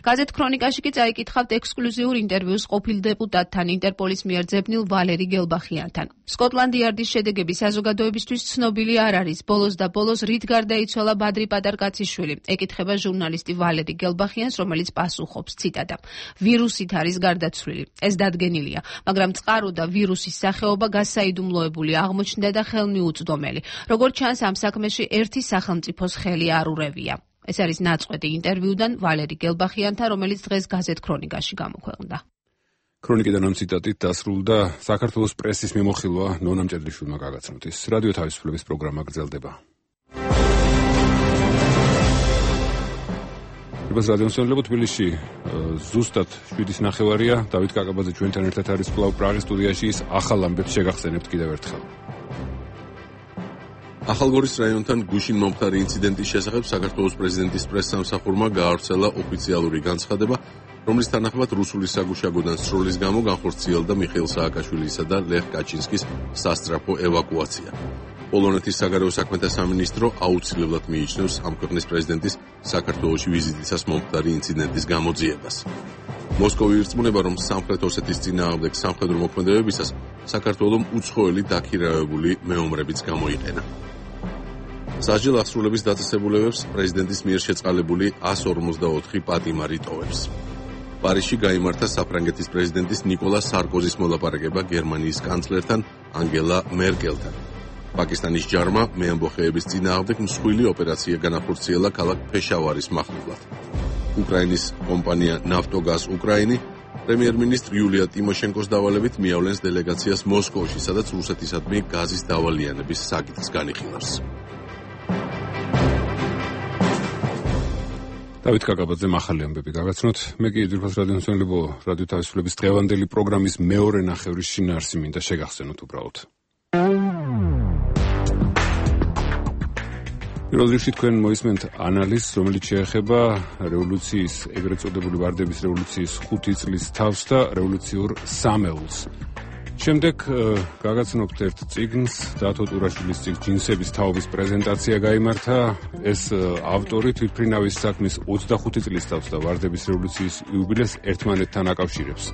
გაზეთ ქრონიკაში კი წაიკითხავთ ექსკლუზიურ ინტერვიუს ყოფილ დეპუტატთან, ინტერპოლის მიერ ძებნილ ვალერი გელბახიანთან. სკოტლანდ იარდის შედეგები საზოგადოებისთვის ცნობილი არ არის. ბოლოს და ბოლოს რით გარდაიცვალა ბადრი პატარკაციშვილი, ეკითხება ჟურნალისტი ვალერი გელბახიანს, რომელიც პასუხობს, ციტატა: ვირუსით არის გარდაცვლილი. ეს დადგენილია, მაგრამ წყარო და ვირუსის სახეობა გასაიდუმლოებული აღმოჩნდა და ხელმიუწვდომელი. როგორც ჩანს, ამ საქმეში ერთი სახელმწიფოს ხელი არ ურევია. ეს არის ნაწყვეტი ინტერვიუდან ვალერი გელბახიანთან, რომელიც დღეს გაზეთ ქრონიკაში გამოქვეყნდა. ქრონიკიდან ამ ციტატით დასრულდა საქართველოს პრესის მიმოხილვა ნონა მჭედლიშვილმა გაგაცნოთ. ის რადიო თავისუფლების პროგრამა გრძელდება. ეს რადიოსმენელებო თბილისში ზუსტად 7:09-ია. დავით კაკაბაძე ჩვენთან ერთად არის კვლავ პრაღის სტუდიაში. ის ახალ ამბებს შეგახსენებთ კიდევ ერთხელ. ახალგორის რაიონთან გუშინ მომხდარი ინციდენტის შესახებ საქართველოს პრეზიდენტის პრესსამსახურმა გაავრცელა ოფიციალური განცხადება, რომლის თანახმად რუსული საგუშაგოდან სროლის გამო განხორციელდა მიხეილ სააკაშვილისა და ლეხ კაჩინსკის სასწრაფო ევაკუაცია. პოლონეთის საგარეო საქმეთა სამინისტრო აუცილებლად მიიჩნევს ამ ქვეყნის პრეზიდენტის საქართველოში ვიზიტისას მომხდარი ინციდენტის გამოძიებას. მოსკოვი ირწმუნება, რომ სამხრეთ ოსეთის წინააღმდეგ სამხედრო მოქმედებებისას საქართველომ უცხოელი დაქირავებული მეომრებიც გამოიყენა. სასჯელ აღსრულების დაწესებულებებს პრეზიდენტის მიერ შეწყალებული 154 პატიმარი ტოვებს. პარიზში გაიმართა საფრანგეთის პრეზიდენტის ნიკოლა სარკოზის მოლაპარაკება გერმანიის კანცლერთან ანგელა მერკელთან. პაკისტანის ჯარმა მეამბოხეების წინააღმდეგ მსხვილი ოპერაცია განახორციელა ქალაქ ფეშავარის მახლობლად. უკრაინის კომპანია ნავტოგაზ უკრაინი პრემიერ-მინისტრ იულია ტიმოშენკოს დავალებით მიავლენს დელეგაციას მოსკოვში, სადაც რუსეთისადმი გაზის დავალიანების საკითხს განიხილავს. დავით კაკაბაძე ახალი ამბები გაგაცნოთ. მე კი ძირფას რადიოსმენელებო რადიო თავისუფლების დღევანდელი პროგრამის მეორე ნახევრის შინაარსი მინდა შეგახსენოთ უბრალოდ. პირველ რიგში თქვენ მოისმენთ ანალიზს, რომელიც შეეხება რევოლუციის, ეგრეთ წოდებული ვარდების რევოლუციის 5 წლის თავს და რევოლუციურ სამეულს. შემდეგ გაგაცნობთ ერთ წიგნს, დათო ტურაშვილის წიგნს ჯინსების თაობის პრეზენტაცია გაიმართა. ეს ავტორი თვითმფრინავის საქმის 25 წლის თავს და ვარდების რევოლუციის იუბილეს ერთმანეთთან აკავშირებს.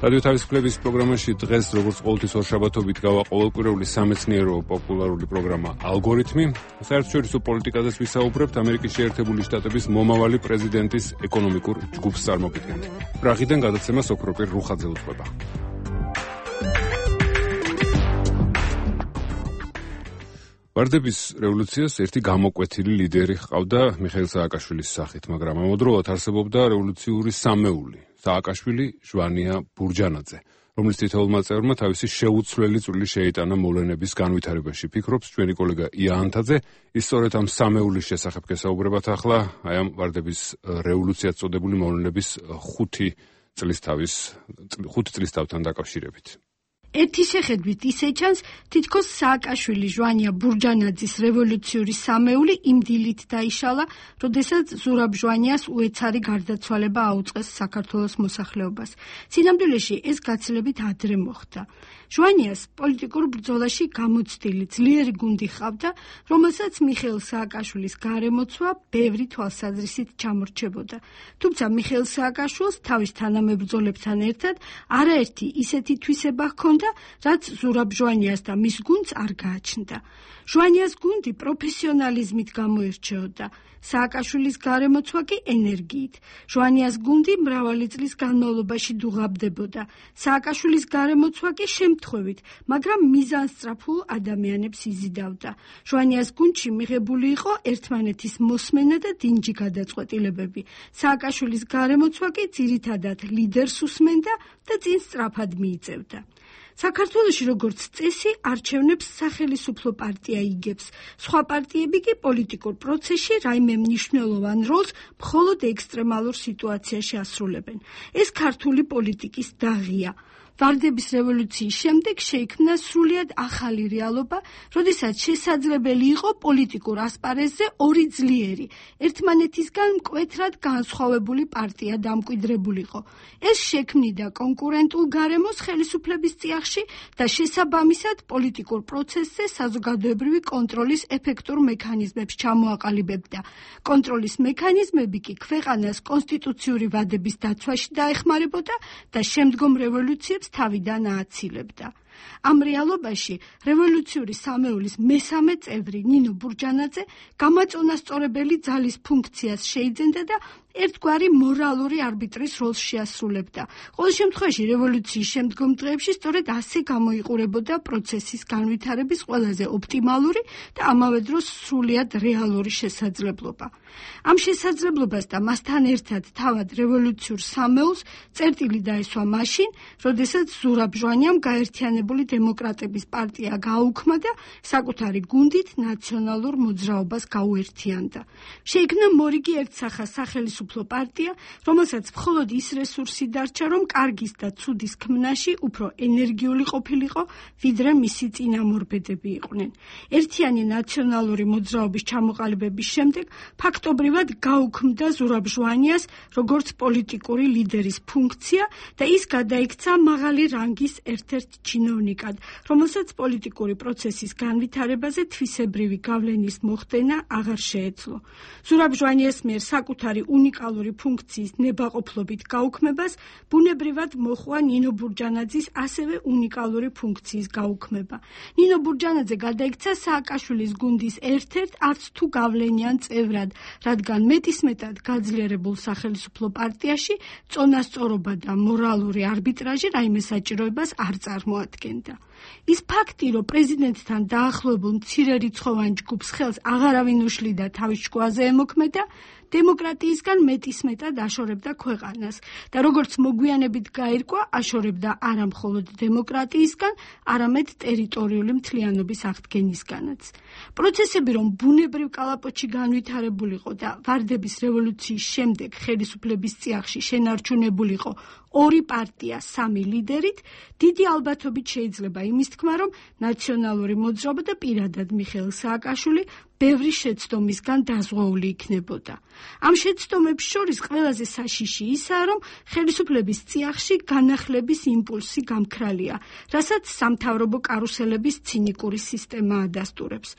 რადიო თავისუფლების პროგრამაში დღეს, როგორც ყოველთვის ორშაბათობით, გავა ყოველკვირეული სამეცნიერო პოპულარული პროგრამა ალგორითმი. საერთაშორისო პოლიტიკაზეც ვისაუბრებთ ამერიკის შეერთებული შტატების მომავალი პრეზიდენტის ეკონომიკურ ჯგუფს წარმოგიდგენთ. პრაღიდან გადაცემას ოქროპირ რუხაძე უძღვება. ვარდების რევოლუციას ერთი გამოკვეთილი ლიდერი ჰყავდა მიხეილ სააკაშვილის სახით, მაგრამ ამავდროულად არსებობდა რევოლუციური სამეული სააკაშვილი, ჟვანია ბურჯანაძე, რომლის თითოეულმა წევრმა თავისი შეუცვლელი წვლილი შეიტანა მოვლენების განვითარებაში. ფიქრობს ჩვენი კოლეგა ია ანთაძე. ის სწორედ ამ სამეულის შესახებ გესაუბრებათ ახლა, აი ამ ვარდების რევოლუციას წოდებული მოვლენების 5 წლის თავთან დაკავშირებით. ერთი შეხედვით ისე ჩანს, თითქოს სააკაშვილი ჟვანია ბურჯანაძის რევოლუციური სამეული იმ დილით დაიშალა, როდესაც ზურაბ ჟვანიას უეცარი გარდაცვალება აუწყეს საქართველოს მოსახლეობას. სინამდვილეში ეს გაცილებით ადრე მოხდა. ჟვანიას პოლიტიკურ ბრძოლაში გამოცდილი ძლიერი გუნდი ჰყავდა, რომელსაც მიხეილ სააკაშვილის გარემოცვა ბევრი თვალსაზრისით ჩამორჩებოდა. თუმცა მიხეილ სააკაშვილს თავის თანამებრძოლებთან ერთად არაერთი ისეთი თვისება ჰქონდა, რაც ზურაბ ჟვანიას და მის გუნდს არ გააჩნდა. ჟვანიას გუნდი პროფესიონალიზმით გამოირჩეოდა, სააკაშვილის გარემოცვა კი ენერგიით. ჟვანიას გუნდი მრავალი წლის განმავლობაში დუღაბდებოდა, სააკაშვილის გარემოცვა კი შემთხვევით, მაგრამ მიზანსწრაფულ ადამიანებს იზიდავდა. ჟვანიას გუნდში მიღებული იყო ერთმანეთის მოსმენა და დინჯი გადაწყვეტილებები. სააკაშვილის გარემოცვა კი ძირითადად ლიდერს უსმენდა და წინ სწრაფად მიიწევდა. საქართველოში როგორც წესი არჩევნებს სახელისუფლო პარტია იგებს. სხვა პარტიები კი პოლიტიკურ პროცესში რაიმე მნიშვნელოვან როლს მხოლოდ ექსტრემალურ სიტუაციაში ასრულებენ. ეს ქართული პოლიტიკის დაღია. ვარდების რევოლუციის შემდეგ შეიქმნა სრულიად ახალი რეალობა, როდესაც შესაძლებელი იყო პოლიტიკურ ასპარეზზე ორი ძლიერი, ერთმანეთისგან მკვეთრად განსხვავებული პარტია დამკვიდრებულიყო. ეს შექმნიდა კონკურენტულ გარემოს ხელისუფლების წიაღში და შესაბამისად პოლიტიკურ პროცესზე საზოგადოებრივი კონტროლის ეფექტურ მექანიზმებს ჩამოაყალიბებდა. კონტროლის მექანიზმები კი ქვეყანას კონსტიტუციური ვადების დაცვაში დაეხმარებოდა და შემდგომ რევოლუციებს თავიდან ააცილებდა. ამ რეალობაში რევოლუციური სამეულის მესამე წევრი ნინო ბურჯანაძე გამაწონასწორებელი ძალის ფუნქციას შეიძენდა და ერთგვარი მორალური არბიტრის როლს შეასრულებდა. ყოველ შემთხვევაში რევოლუციის შემდგომ დღეებში სწორედ ასე გამოიყურებოდა პროცესის განვითარების ყველაზე ოპტიმალური და ამავე დროს სრულიად რეალური შესაძლებლობა. ამ შესაძლებლობას და მასთან ერთად თავად რევოლუციურ სამეულს წერტილი დაესვა მაშინ, როდესაც ზურაბ ჟვანიამ გაერთიანებული დემოკრატების პარტია გააუქმა და საკუთარი გუნდით ნაციონალურ მოძრაობას გაუერთიანდა. შეიქმნა მორიგი ერთსახა სახელისუფლო პარტია, რომელსაც მხოლოდ ის რესურსი დარჩა, რომ კარგის და ცუდის ქმნაში უფრო ენერგიული ყოფილიყო, ვიდრე მისი წინამორბედები იყვნენ. ერთიანი ნაციონალური მოძრაობის ჩამოყალიბების შემდეგ ფაქტობრივად გაუქმდა ზურაბ ჟვანიას როგორც პოლიტიკური ლიდერის ფუნქცია და ის გადაიქცა მაღალი რანგის ერთ-ერთ ჩინოვნიკად, რომელსაც პოლიტიკური პროცესის განვითარებაზე თვისებრივი გავლენის მოხდენა აღარ შეეძლო. ზურაბ ჟვანიას მიერ საკუთარი უნიკალური ფუნქციის ნებაყოფლობით გაუქმებას ბუნებრივად მოჰყვა ნინო ბურჯანაძის ასევე უნიკალური ფუნქციის გაუქმება. ნინო ბურჯანაძე გადაიქცა სააკაშვილის გუნდის ერთ-ერთ არც თუ გავლენიან წევრად, რადგან მეტისმეტად გაძლიერებულ სახელისუფლო პარტიაში წონასწორობა და მორალური არბიტრაჟი რაიმე საჭიროებას არ წარმოადგენდა. ის ფაქტი, რომ პრეზიდენტთან დაახლოებულ მცირერიცხოვან ჯგუფს ხელს აღარავინ უშლიდა თავის ჭკუაზე ემოქმედა, დემოკრატიისგან მეტისმეტად აშორებდა ქვეყანას და როგორც მოგვიანებით გაირკვა, აშორებდა არა მხოლოდ დემოკრატიისგან, არამედ ტერიტორიული მთლიანობის აღდგენისგანაც. პროცესები, რომ ბუნებრივ კალაპოტში განვითარებულიყო და ვარდების რევოლუციის შემდეგ ხელისუფლების წიაღში შენარჩუნებულიყო ორი პარტია სამი ლიდერით, დიდი ალბათობით შეიძლება იმის თქმა, რომ ნაციონალური მოძრაობა და პირადად მიხეილ სააკაშვილი ბევრი შეცდომისგან დაზღვეული იქნებოდა. ამ შეცდომებს შორის ყველაზე საშიში ისაა, რომ ხელისუფლების წიაღში განახლების იმპულსი გამქრალია, რასაც სამთავრობო კარუსელების ცინიკური სისტემა ადასტურებს.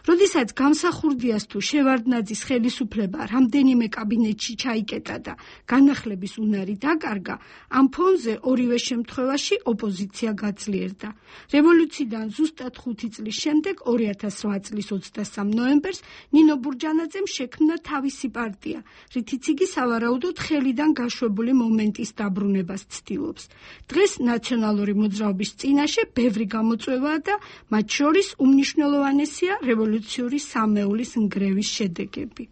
როდესაც გამსახურდიას თუ შევარდნაძის ხელისუფლება რამდენიმე კაბინეტში ჩაიკეტა და განახლების უნარი დაკარგა, ამ ფონზე ორივე შემთხვევაში ოპოზიცია გაძლიერდა. რევოლუციიდან ზუსტად 5 წლის შემდეგ 2008 წლის 23 ნოემბერს ნინო ბურჯანაძემ შექმნა თავისი პარტია, რითიც იგი სავარაუდოდ ხელიდან გაშვებული მომენტის დაბრუნებას ცდილობს. დღეს ნაციონალური მოძრაობის წინაშე ბევრი გამოწვევაა და მათ შორის უმნიშვნელოვანესია რევოლუციური სამეულის ნგრევის შედეგები.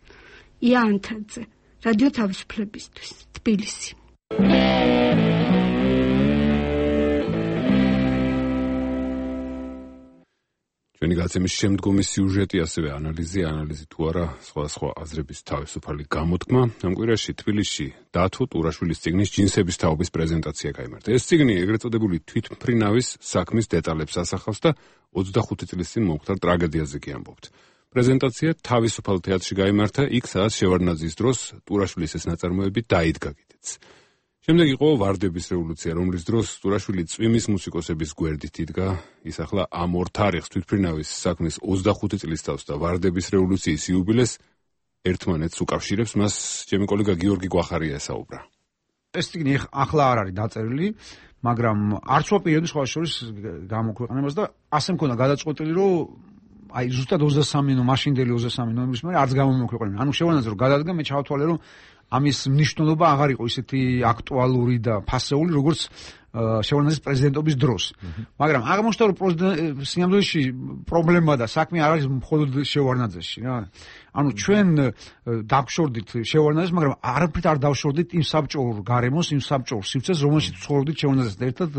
ია ანთაძე, რადიო თავისუფლებისთვის, თბილისი. ჩვენი გაცემის შემდგომი სიუჟეტი, ასევე ანალიზი თუ არა სხვა აზრების თავისუფალი გამოთქმა. ამ კვირაში თბილისში დათო ტურაშვილის წიგნის ჯინსების თაობის პრეზენტაცია გაიმართა. ეს წიგნი ეგრეთ წოდებული თვითმფრინავის საქმის დეტალებს ასახავს და 25 წლის წინ მომხდარ ტრაგედიაზე კი ამბობთ. პრეზენტაცია თავისუფალ თეატრში გაიმართა, იქ სადაც შევარდნაძის დროს ტურაშვილის ეს ნაწარმოები დაიდგა კიდეც. შემდეგ იყო ვარდების რევოლუცია, რომლის დროს ტურაშვილი წვიმის მუსიკოსების გვერდით იდგა. ის ახლა ამ ორ თარიღს თვითმფრინავის საქმის 25 წლის თავს და ვარდების რევოლუციის იუბილეს ერთმანეთს უკავშირებს. მას ჩემი კოლეგა გიორგი გვახარია ესაუბრა. ეს წიგნი ახლა არ არის დაწერილი, მაგრამ არც ვაპირებდი სხვა შორის გამოქვეყნებას და ასე მქონდა გადაწყვეტილი, რომ აი ზუსტად 23 მაშინდელი 23 ნოემბრის მერე არც გამომექვეყნე. ანუ შევანაძე რომ გადადგა, მე ჩავთვალე, რომ ამის მნიშვნელობა აღარ იყო ისეთი აქტუალური და ფასეული, როგორც შევარდნაძის პრეზიდენტობის დროს. მაგრამ აღმოჩნდა, რომ სინამდვილეში პრობლემა და საქმე არ არის მხოლოდ შევარდნაძეში რა. ანუ ჩვენ დავშორდით შევარდნაძეს, მაგრამ არაფრით არ დავშორდით იმ საბჭოურ გარემოს, იმ საბჭოურ სივრცეს, რომელშიც ცხოვრობდით შევარდნაძესთან ერთად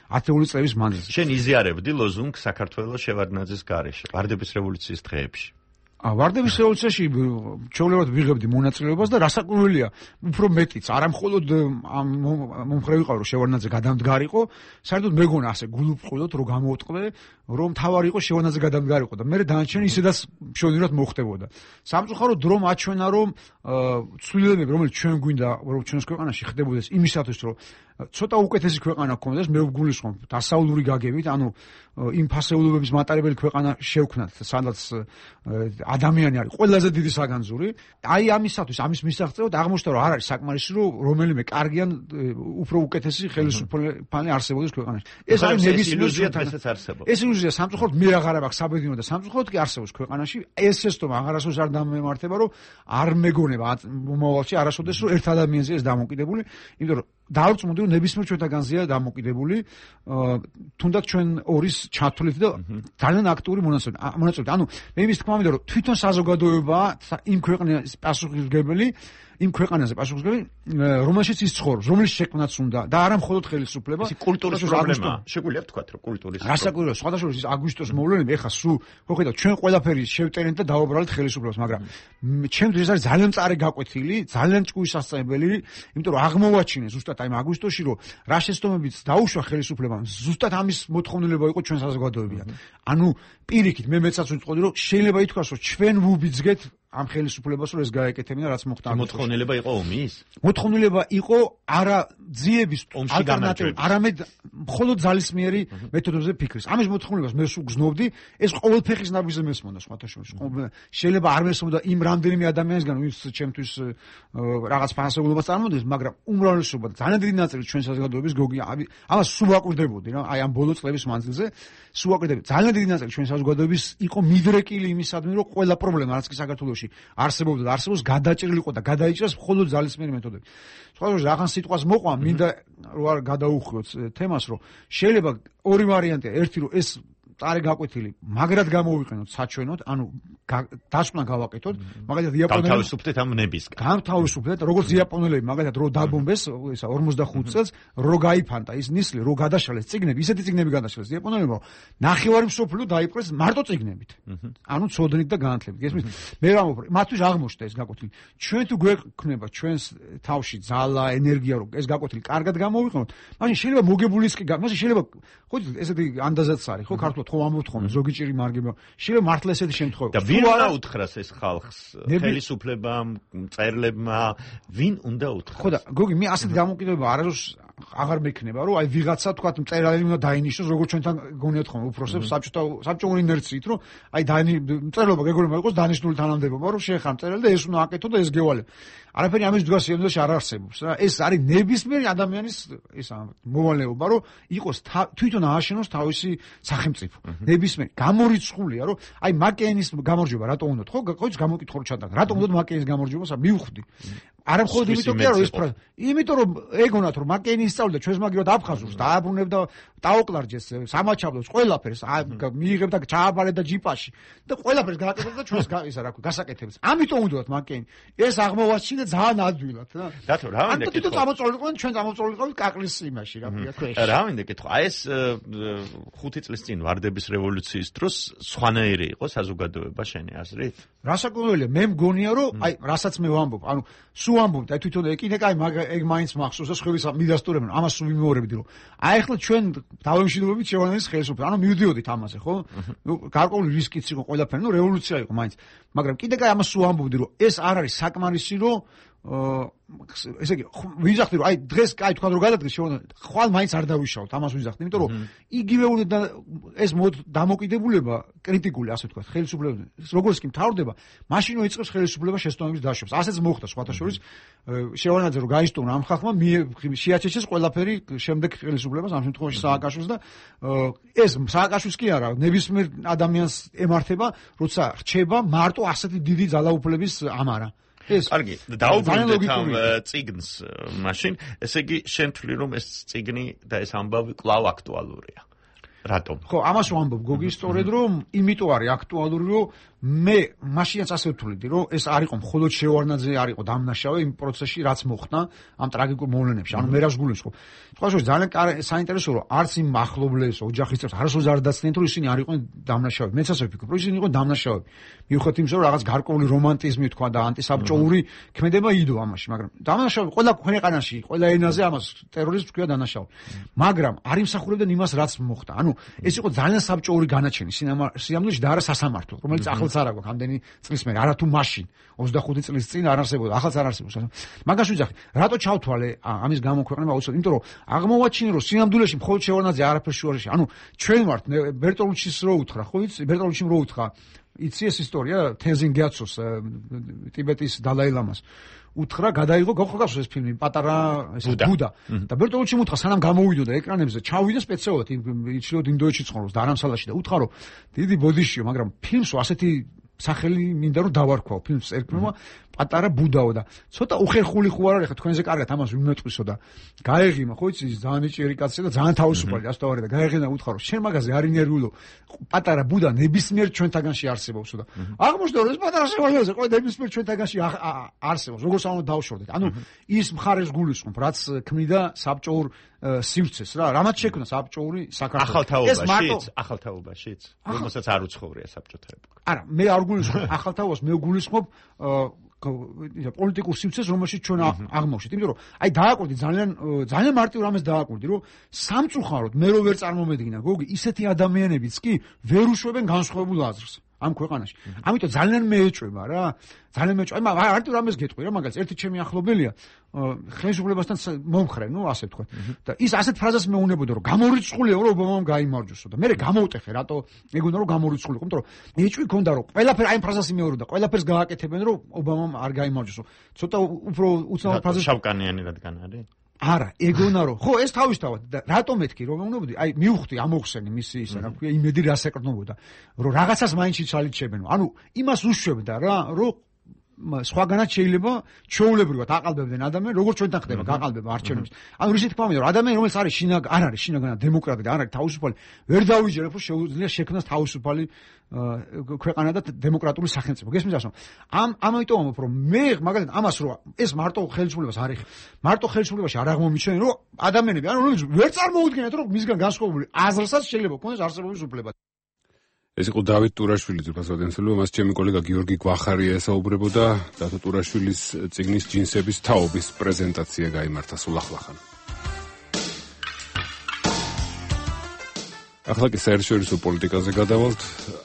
ათეული წლების მანძილზე. შენ იზიარებდი ლოზუნგ საქართველოს შევარდნაძის გარეშე, ვარდების რევოლუციის დღეებში. ვარდების რევოლუციაში ჩვეულებრივად ვიღებდი მონაწილეობას და რასაკვირველია, უფრო მეტიც, არა მხოლოდ მომხრე ვიყავ, რომ შევარდნაძე გადამდგარიყო, საერთოდ მეგონა ასე გულუბრყვილოდ რომ გამოუტყდე, რომ თავარი იყო შევარდნაძე გადამდგარიყო და მე დანარჩენი ისედაც მშვენივრად მოხდებოდა. სამწუხაროდ დრო მაჩვენა, რომ ცვლილებები, რომელიც ჩვენ გვინდა, რომ ჩვენს ქვეყანაში ხდებოდეს იმისათვის, რომ ცოტა უკეთესი ქვეყანა გქონდეს, მე ვგულისხმობ დასავლური გაგებით, ანუ იმ ფასეულობების მატარებელი ქვეყანა შევქმნათ, სადაც ადამიანი არის ყველაზე დიდი საგანძური. აი ამისათვის, ამის მისაღწევად აღმოჩნდა, რომ არ არის საკმარისი, რომ რომელიმე კარგიან უფრო უკეთესი ხელისუფლება არსებობდეს ქვეყანაში. ეს არის ნებისმიერ ილუზიასაც არსებობს. ეს ილუზია სამწუხაროდ მე აღარ მაქვს საბედნიერო და სამწუხაროდ კი არსებობს ქვეყანაში. ეს შეცდომა აღარასოდეს არ დამემართება, რომ არ მეგონება მომავალში არასოდეს რომ ერთ ადამიანზე ეს დამოკიდებული, იმიტომ რომ დავრწმუნდი, რომ ნებისმიერ ჩვენთაგანზეა დამოკიდებული, თუნდაც ჩვენ ორის ჩათვლით და ძალიან აქტიური მონაწილეობით. ანუ მე იმის თქმა მინდა, რომ თვითონ საზოგადოებაა იმ ქვეყნის პასუხისმგებელი, იმ ქვეყანაზე პასუხისმგებელი, რომელშიც ის ცხოვრობს, რომელიც შექმნაც უნდა და არა მხოლოდ ხელისუფლება. ეს კულტურის პრობლემაა. შეგვიძლია ვთქვათ, რომ კულტურის პრობლემა. რასაკვირველია, სხვადასხვა ის აგვისტოს მოვლენები, ეხლა სულ მოხედავთ, ჩვენ ყველაფერი შევტერենք და დავაბრალეთ ხელისუფლებას, მაგრამ ჩემთვის ეს არის ძალიან მწარე გაკვეთილი, ძალიან ჭკუისასწრებელი, იმიტომ რომ აღმოვაჩინე ზუსტად აი აგვისტოში, რომ რა შეცდომებიც დაუშვა ხელისუფლებამ, ზუსტად ამის მოთხოვნილება იყო ჩვენ საზოგადოებიდან. ანუ პირიქით მე მეცაც ვიტყოდი, რომ შეიძლება ითქვას, რომ ჩვენ ვუბიძგეთ ამ ხელისუფლებას, რომ ეს გაეკეთებინა, რაც მოხდა. მოთხოვნილება იყო ომის? მოთხოვნილება იყო არა ძიების ალტერნატივა, არამედ მხოლოდ ძალისმიერი მეთოდებზე ფიქრის. ამის მოთხოვნილებას მე სულ გზნობდი, ეს ყოველ ფეხის ნაბიჯზე მესმოდა სხვათა შორის. შეიძლება არ მესმოდა იმ რამდენიმე ადამიანისგან, ვინც ჩემთვის რაღაც ფასეულობას წარმოადგენს, მაგრამ უმრავლესობა ძალიან დიდი ნაწილი ჩვენ საზოგადოების გოგია. ამას სულ ვაკვირდებოდი რა, აი ამ ბოლო წლების მანძილზე სულ ვაკვირდებოდი. ძალიან დიდი ნაწილი ჩვენ საზოგადოების იყო მიდრეკილი იმისადმი, რომ ყველა პრობლემა, რაც კი საქართველოში არსებობდა და არსებობს, გადაჭრილიყო და გადაიჭრას მხოლოდ ძალისმიერი მეთოდები. სხვადასხვა რაღაც სიტყვას მოყვა, მინდა რომ არ გადაუხვიოთ თემას, რომ შეიძლება ორი ვარიანტია, ერთი რომ ეს წარე გაკვეთილი მაგრად გამოვიყენოთ საჩვენოდ, ანუ დასკვნა გავაკეთოთ, მაგალითად იაპონელები გავთავისუფლდეთ ამ ნებისგან. გავთავისუფლდეთ, როგორც იაპონელები, მაგალითად რო დაბომბეს, ისა 45 წელს, რო გაიფანტა ის ნისლი, რო გადაშალეს წიგნები, ისეთი წიგნები გადაშალეს იაპონელებმა, ნახევარი მსოფლიო დაიპყრეს მარტო წიგნებით. ანუ ცოდნით და განათლებით. ესმის, მე ვამბობ, მათთვის აღმოჩნდა ეს გაკვეთილი. ჩვენ თუ გვექნება ჩვენს თავში ძალა, ენერგია, რომ ეს გაკვეთილი კარგად გამოვიყენოთ, მაშინ შეიძლება მოგებულიც კი, მაშინ შეიძლება, ხო იცით, ესეთი ანდაზაც არის, ხო, ქართულად ხო ამბობთ ხოლმე, ზოგი ჭირი მარგება. შეიძლება მართლა ესეთი შემთხვევა. და ვინ უნდა უთხრას ეს ხალხს? ხელისუფლებამ, მწერლებმა, ვინ უნდა უთხრას? ხო და გოგი, მე ასეთ გამოკიდებება არასდროს აღარ მექნება, რომ აი ვიღაცა თქვა მწერალი უნდა დაინიშნოს, როგორც ჩვენთან გონიათ ხოლმე უფროსებს საბჭოური ინერციით, რომ აი მწერლობა გეგონება იყოს დანიშნული თანამდებობა, რომ შეეხარ მწერალი და ეს უნდა აკეთო და ეს გევალებ. არაფერი ამის დგას სიამოვნებაში არ არსებობს რა. ეს არის ნებისმიერი ადამიანის ისა მოვალეობა, რომ იყოს თვითონ ააშენოს თავისი სახელმწიფო. ნებისმიერი გამორიცხულია, რომ აი მაკეინის გამარჯვება რატო უნდათ? ხო, გამოიკითხო რომ ჩატარდა. რატო უნდათ მაკეინის გამარჯვებას? მივხვდი. არა მხოლოდ იმიტომ კი არა რომ ეს ფრაზა, იმიტომ რომ ეგონათ რომ მაკეინი ისწავლიდა ჩვენს მაგივრად აფხაზურს, დააბრუნებდა დაოკლარჯეს სამაჩაბლოს ყველაფერს, მიიღებდა ჩააბარებდა ჯიპაში და ყველაფერს გააკეთებდა ჩვენს ისა რა ქვია, გასაკეთებს. ამიტომ უნდათ მაკეინი ეს აღმოვაჩინა ძალიან ადვილად რა. დათო რა მინდა კითხვა. ანუ წამოწოლიყავენ ჩვენ წამოწოლიყავით კაკლის იმაში რა ქვია ქვეშ. რა მინდა კითხვა. აი ეს 5 წლის წინ ვარდების რევოლუციის დროს სხვანაირი იყო საზოგადოება შენი აზრით? რასაკვირველია, მე მგონია რომ აი რასაც მე ვამბობ, ანუ სულ ამბობ და თვითონ ეკინე კაი ეგ მაინც მახსოვს და სხვების მიდასტურებენ, ამას სულ ვიმეორებდი რომ აი ახლა ჩვენ დავემშვიდობებით შევანანის ხელისუფლებას, ანუ მივდიოდით ამაზე, ხო? ნუ გარკვეული რისკიც იყო ყველაფერი, ნუ რევოლუცია იყო მაინც, მაგრამ კიდე კაი ამას სულ ამბობდი რომ ეს არ არის საკმარისი რომ ესე იგი ვიზახდი რომ აი დღეს კაი თქვა რომ გადადგეს შევანანის ხვალ მაინც არ დავიშავოთ ამას ვიზახდი, იმიტომ რომ იგივე უნდა ეს დამოკიდებულება კრიტიკული ასე ვთქვათ ხელისუფლებას როგორც კი მთავრდება მაშინ იწყებს ხელისუფლება შესტოების დაშვებას. ასეც მოხდა სხვათა შორის შევანაძე რომ გაისტოვნა ამ ხალხმა შეაჩეჩეს ყველაფერი შემდეგ ხელისუფლებას ამ შემთხვევაში სააკაშვილს და ეს სააკაშვილს კი არა ნებისმიერ ადამიანს ემართება როცა რჩება მარტო ასეთი დიდი ძალაუფლების ამარა. კარგი, დაუბრუნდეთ ამ წიგნს მაშინ, ესე იგი შენ თვლი რომ ეს წიგნი და ეს ამბავი კვლავ აქტუალურია. რატომ? ხო, ამას ვამბობ, გოგი, სწორედ რომ იმიტომ არის აქტუალური, რომ მე მაშინაც ასე ვთვლიდი, რომ ეს არ იყო მხოლოდ შევარნაძე არ იყო დამნაშავე იმ პროცესში, რაც მოხდა ამ ტრაგიკულ მოვლენებში. ანუ მე რას გულისხმობ? სხვაშორის ძალიან საინტერესოა, რომ არც იმ ახლობლებს, ოჯახის წევრებს არასოდეს არ დაცნენ, რომ ისინი არ იყვნენ დამნაშავეები. მეც ასე ვფიქრობ, რომ ისინი იყვნენ დამნაშავეები. მიუხედავად იმისა, რომ რაღაც გარკვეული რომანტიზმი თქვა და ანტისაბჭოური ქმედება იდო ამაში, მაგრამ დამნაშავე ყველა ქვეყანაში, ყველა ენაზე ამას ტერორიზმს თქვია დამნაშავე. მაგრამ არ იმსახურებდნენ იმას, რაც მოხდა. ანუ ეს იყო ძალიან საბჭოური განაჩენი სიამოვნეში და არა სასამართლო, რომელიც ახლაც არ აქვს ამდენი წლის მერე, არა თუ მაშინ 25 წლის წინ არ არსებობდა, ახლაც არ არსებობს. მაგას ვიძახი, რატო ჩავთვალე ამის გამოქვეყნება აუცილებლად, იმიტომ რომ აღმოვაჩინე რომ სინამდვილეში მხოლოდ შევარნაძე არაფერს შუარეში. ანუ ჩვენ ვართ ბერტოლუჩის რო უთხრა, ხო იცი, ბერტოლუჩიმ რო უთხრა, იცი ეს ისტორია თენზინ გიაცოს ტიბეტის დალაი-ლამას. უთხრა გადაიღო გახსოვს ეს ფილმი პატარა ეს ბუდა და ბერტოლუჩიმ უთხრა სანამ გამოვიდოდა ეკრანებზე ჩავიდა სპეციალურად იჩლიოდ ინდოეთში ცხოვრობს და არამსალაში და უთხრა რომ დიდი ბოდიშიო მაგრამ ფილმს ასეთი სახელი მინდა რომ დავარქვაო ფილმს ერქვა პატარა ბუდაო და ცოტა უხერხული ხო არ არის ხა თქვენზე კარგად ამას ვიმეწყვისო და გაეღიმა ხო იცი ძალიან იჭერი კაცია და ძალიან თავისუფალი ასთავარი და გაეღინა უთხრა რომ შენ მაგაზე არ ინერვიულო პატარა ბუდა ნებისმიერ ჩვენთაგანში არსებობსო და აღმოჩნდა რომ ეს პატარა შევარნაძე ყო ნებისმიერ ჩვენთაგანში არსებობს როგორც ამო დავშორდეთ ანუ ის მხარეს გულისხმობ რაც ქმნიდა საბჭოურ სივრცეს რა რამაც შექმნა საბჭოური საქართველოს ახალთაობაშიც რომელსაც არ უცხოვრია საბჭოთა ეპოქა არა მე არ გულისხმობ ახალთაობას მე გულისხმობ პოლიტიკურ სივრცეს რომელშიც ჩვენ აღმოვშით იმიტომ რომ აი დააკვირდი ძალიან მარტივ რამეს დააკვირდი რომ სამწუხაროდ მე რო ვერ წარმომედგინა გოგი ისეთი ადამიანებიც კი ვერ უშვებენ განსხვავებულ აზრს ამ ქვეყანაში. ამიტომ ძალიან მეეჭვება რა. ძალიან მეეჭვება. მარტო რამეს გეტყვი რა, მაგალითად, ერთი ჩემი ახლობელია ხელისუფლებასთან მომხრე, ნუ ასე ვთქვათ. და ის ასეთ ფრაზას მეუნებოდა, რომ გამორიცხულია, რომ ობამამ გაიმარჯვოსო და მე გამოვტეხე, რატო მეგონა რომ გამორიცხულიყო, იმიტომ რომ ეჭვი ქონდა, რომ ყველაფერი აი ფრაზას იმეორებდა, ყველაფერს გააკეთებენ, რომ ობამამ არ გაიმარჯვოსო. ცოტა უფრო უცნაურ ფრაზას შავკანიანი რადგან არის? არა, ეგონა რომ ხო ეს თავისთავად და რატომ მეთქი რომ მეუბნებოდი აი მივხვდი ამოხსენი მისი ისა რა ქვია იმედი რას ეკრნებოდა რომ რაღაცას მაინც იცალიჩებენ ანუ იმას უშვებდა რა რომ სხვაგანაც შეიძლება ჩვეულებრივად აყალბებდნენ ადამიანს როგორც ჩვენთან ხდება გაყალბება არჩევნებს ანუ რისი თქმა მინდა რომ ადამიანი რომელიც არის არ არის შინაგანად დემოკრატი და არ არის თავისუფალი ვერ დავიჯერებ რომ შეუძლია შექმნას თავისუფალი ქვეყანა და დემოკრატიული სახელმწიფო გესმის ასე ამიტომ ამბობ რომ მე მაგალითად ამას რომ ეს მარტო ხელისუფლებას არ ეხება მარტო ხელისუფლებაში არ აღმომიჩნენ რომ ადამიანები ანუ რომლებიც ვერ წარმოუდგენთ რომ მისგან განსხვავებული აზრსაც შეიძლება ქონდეს არსებობის უფლება ეს იყო დავით ტურაშვილის უფასოდენსელო მას ჩემი კოლეგა გიორგი გვახარია ესაუბრებოდა დათო ტურაშვილის წიგნის ჯინსების თაობის პრეზენტაცია გაიმართა სულ ახლახან ახლა კი საერთაშორისო პოლიტიკაზე გადავალთ.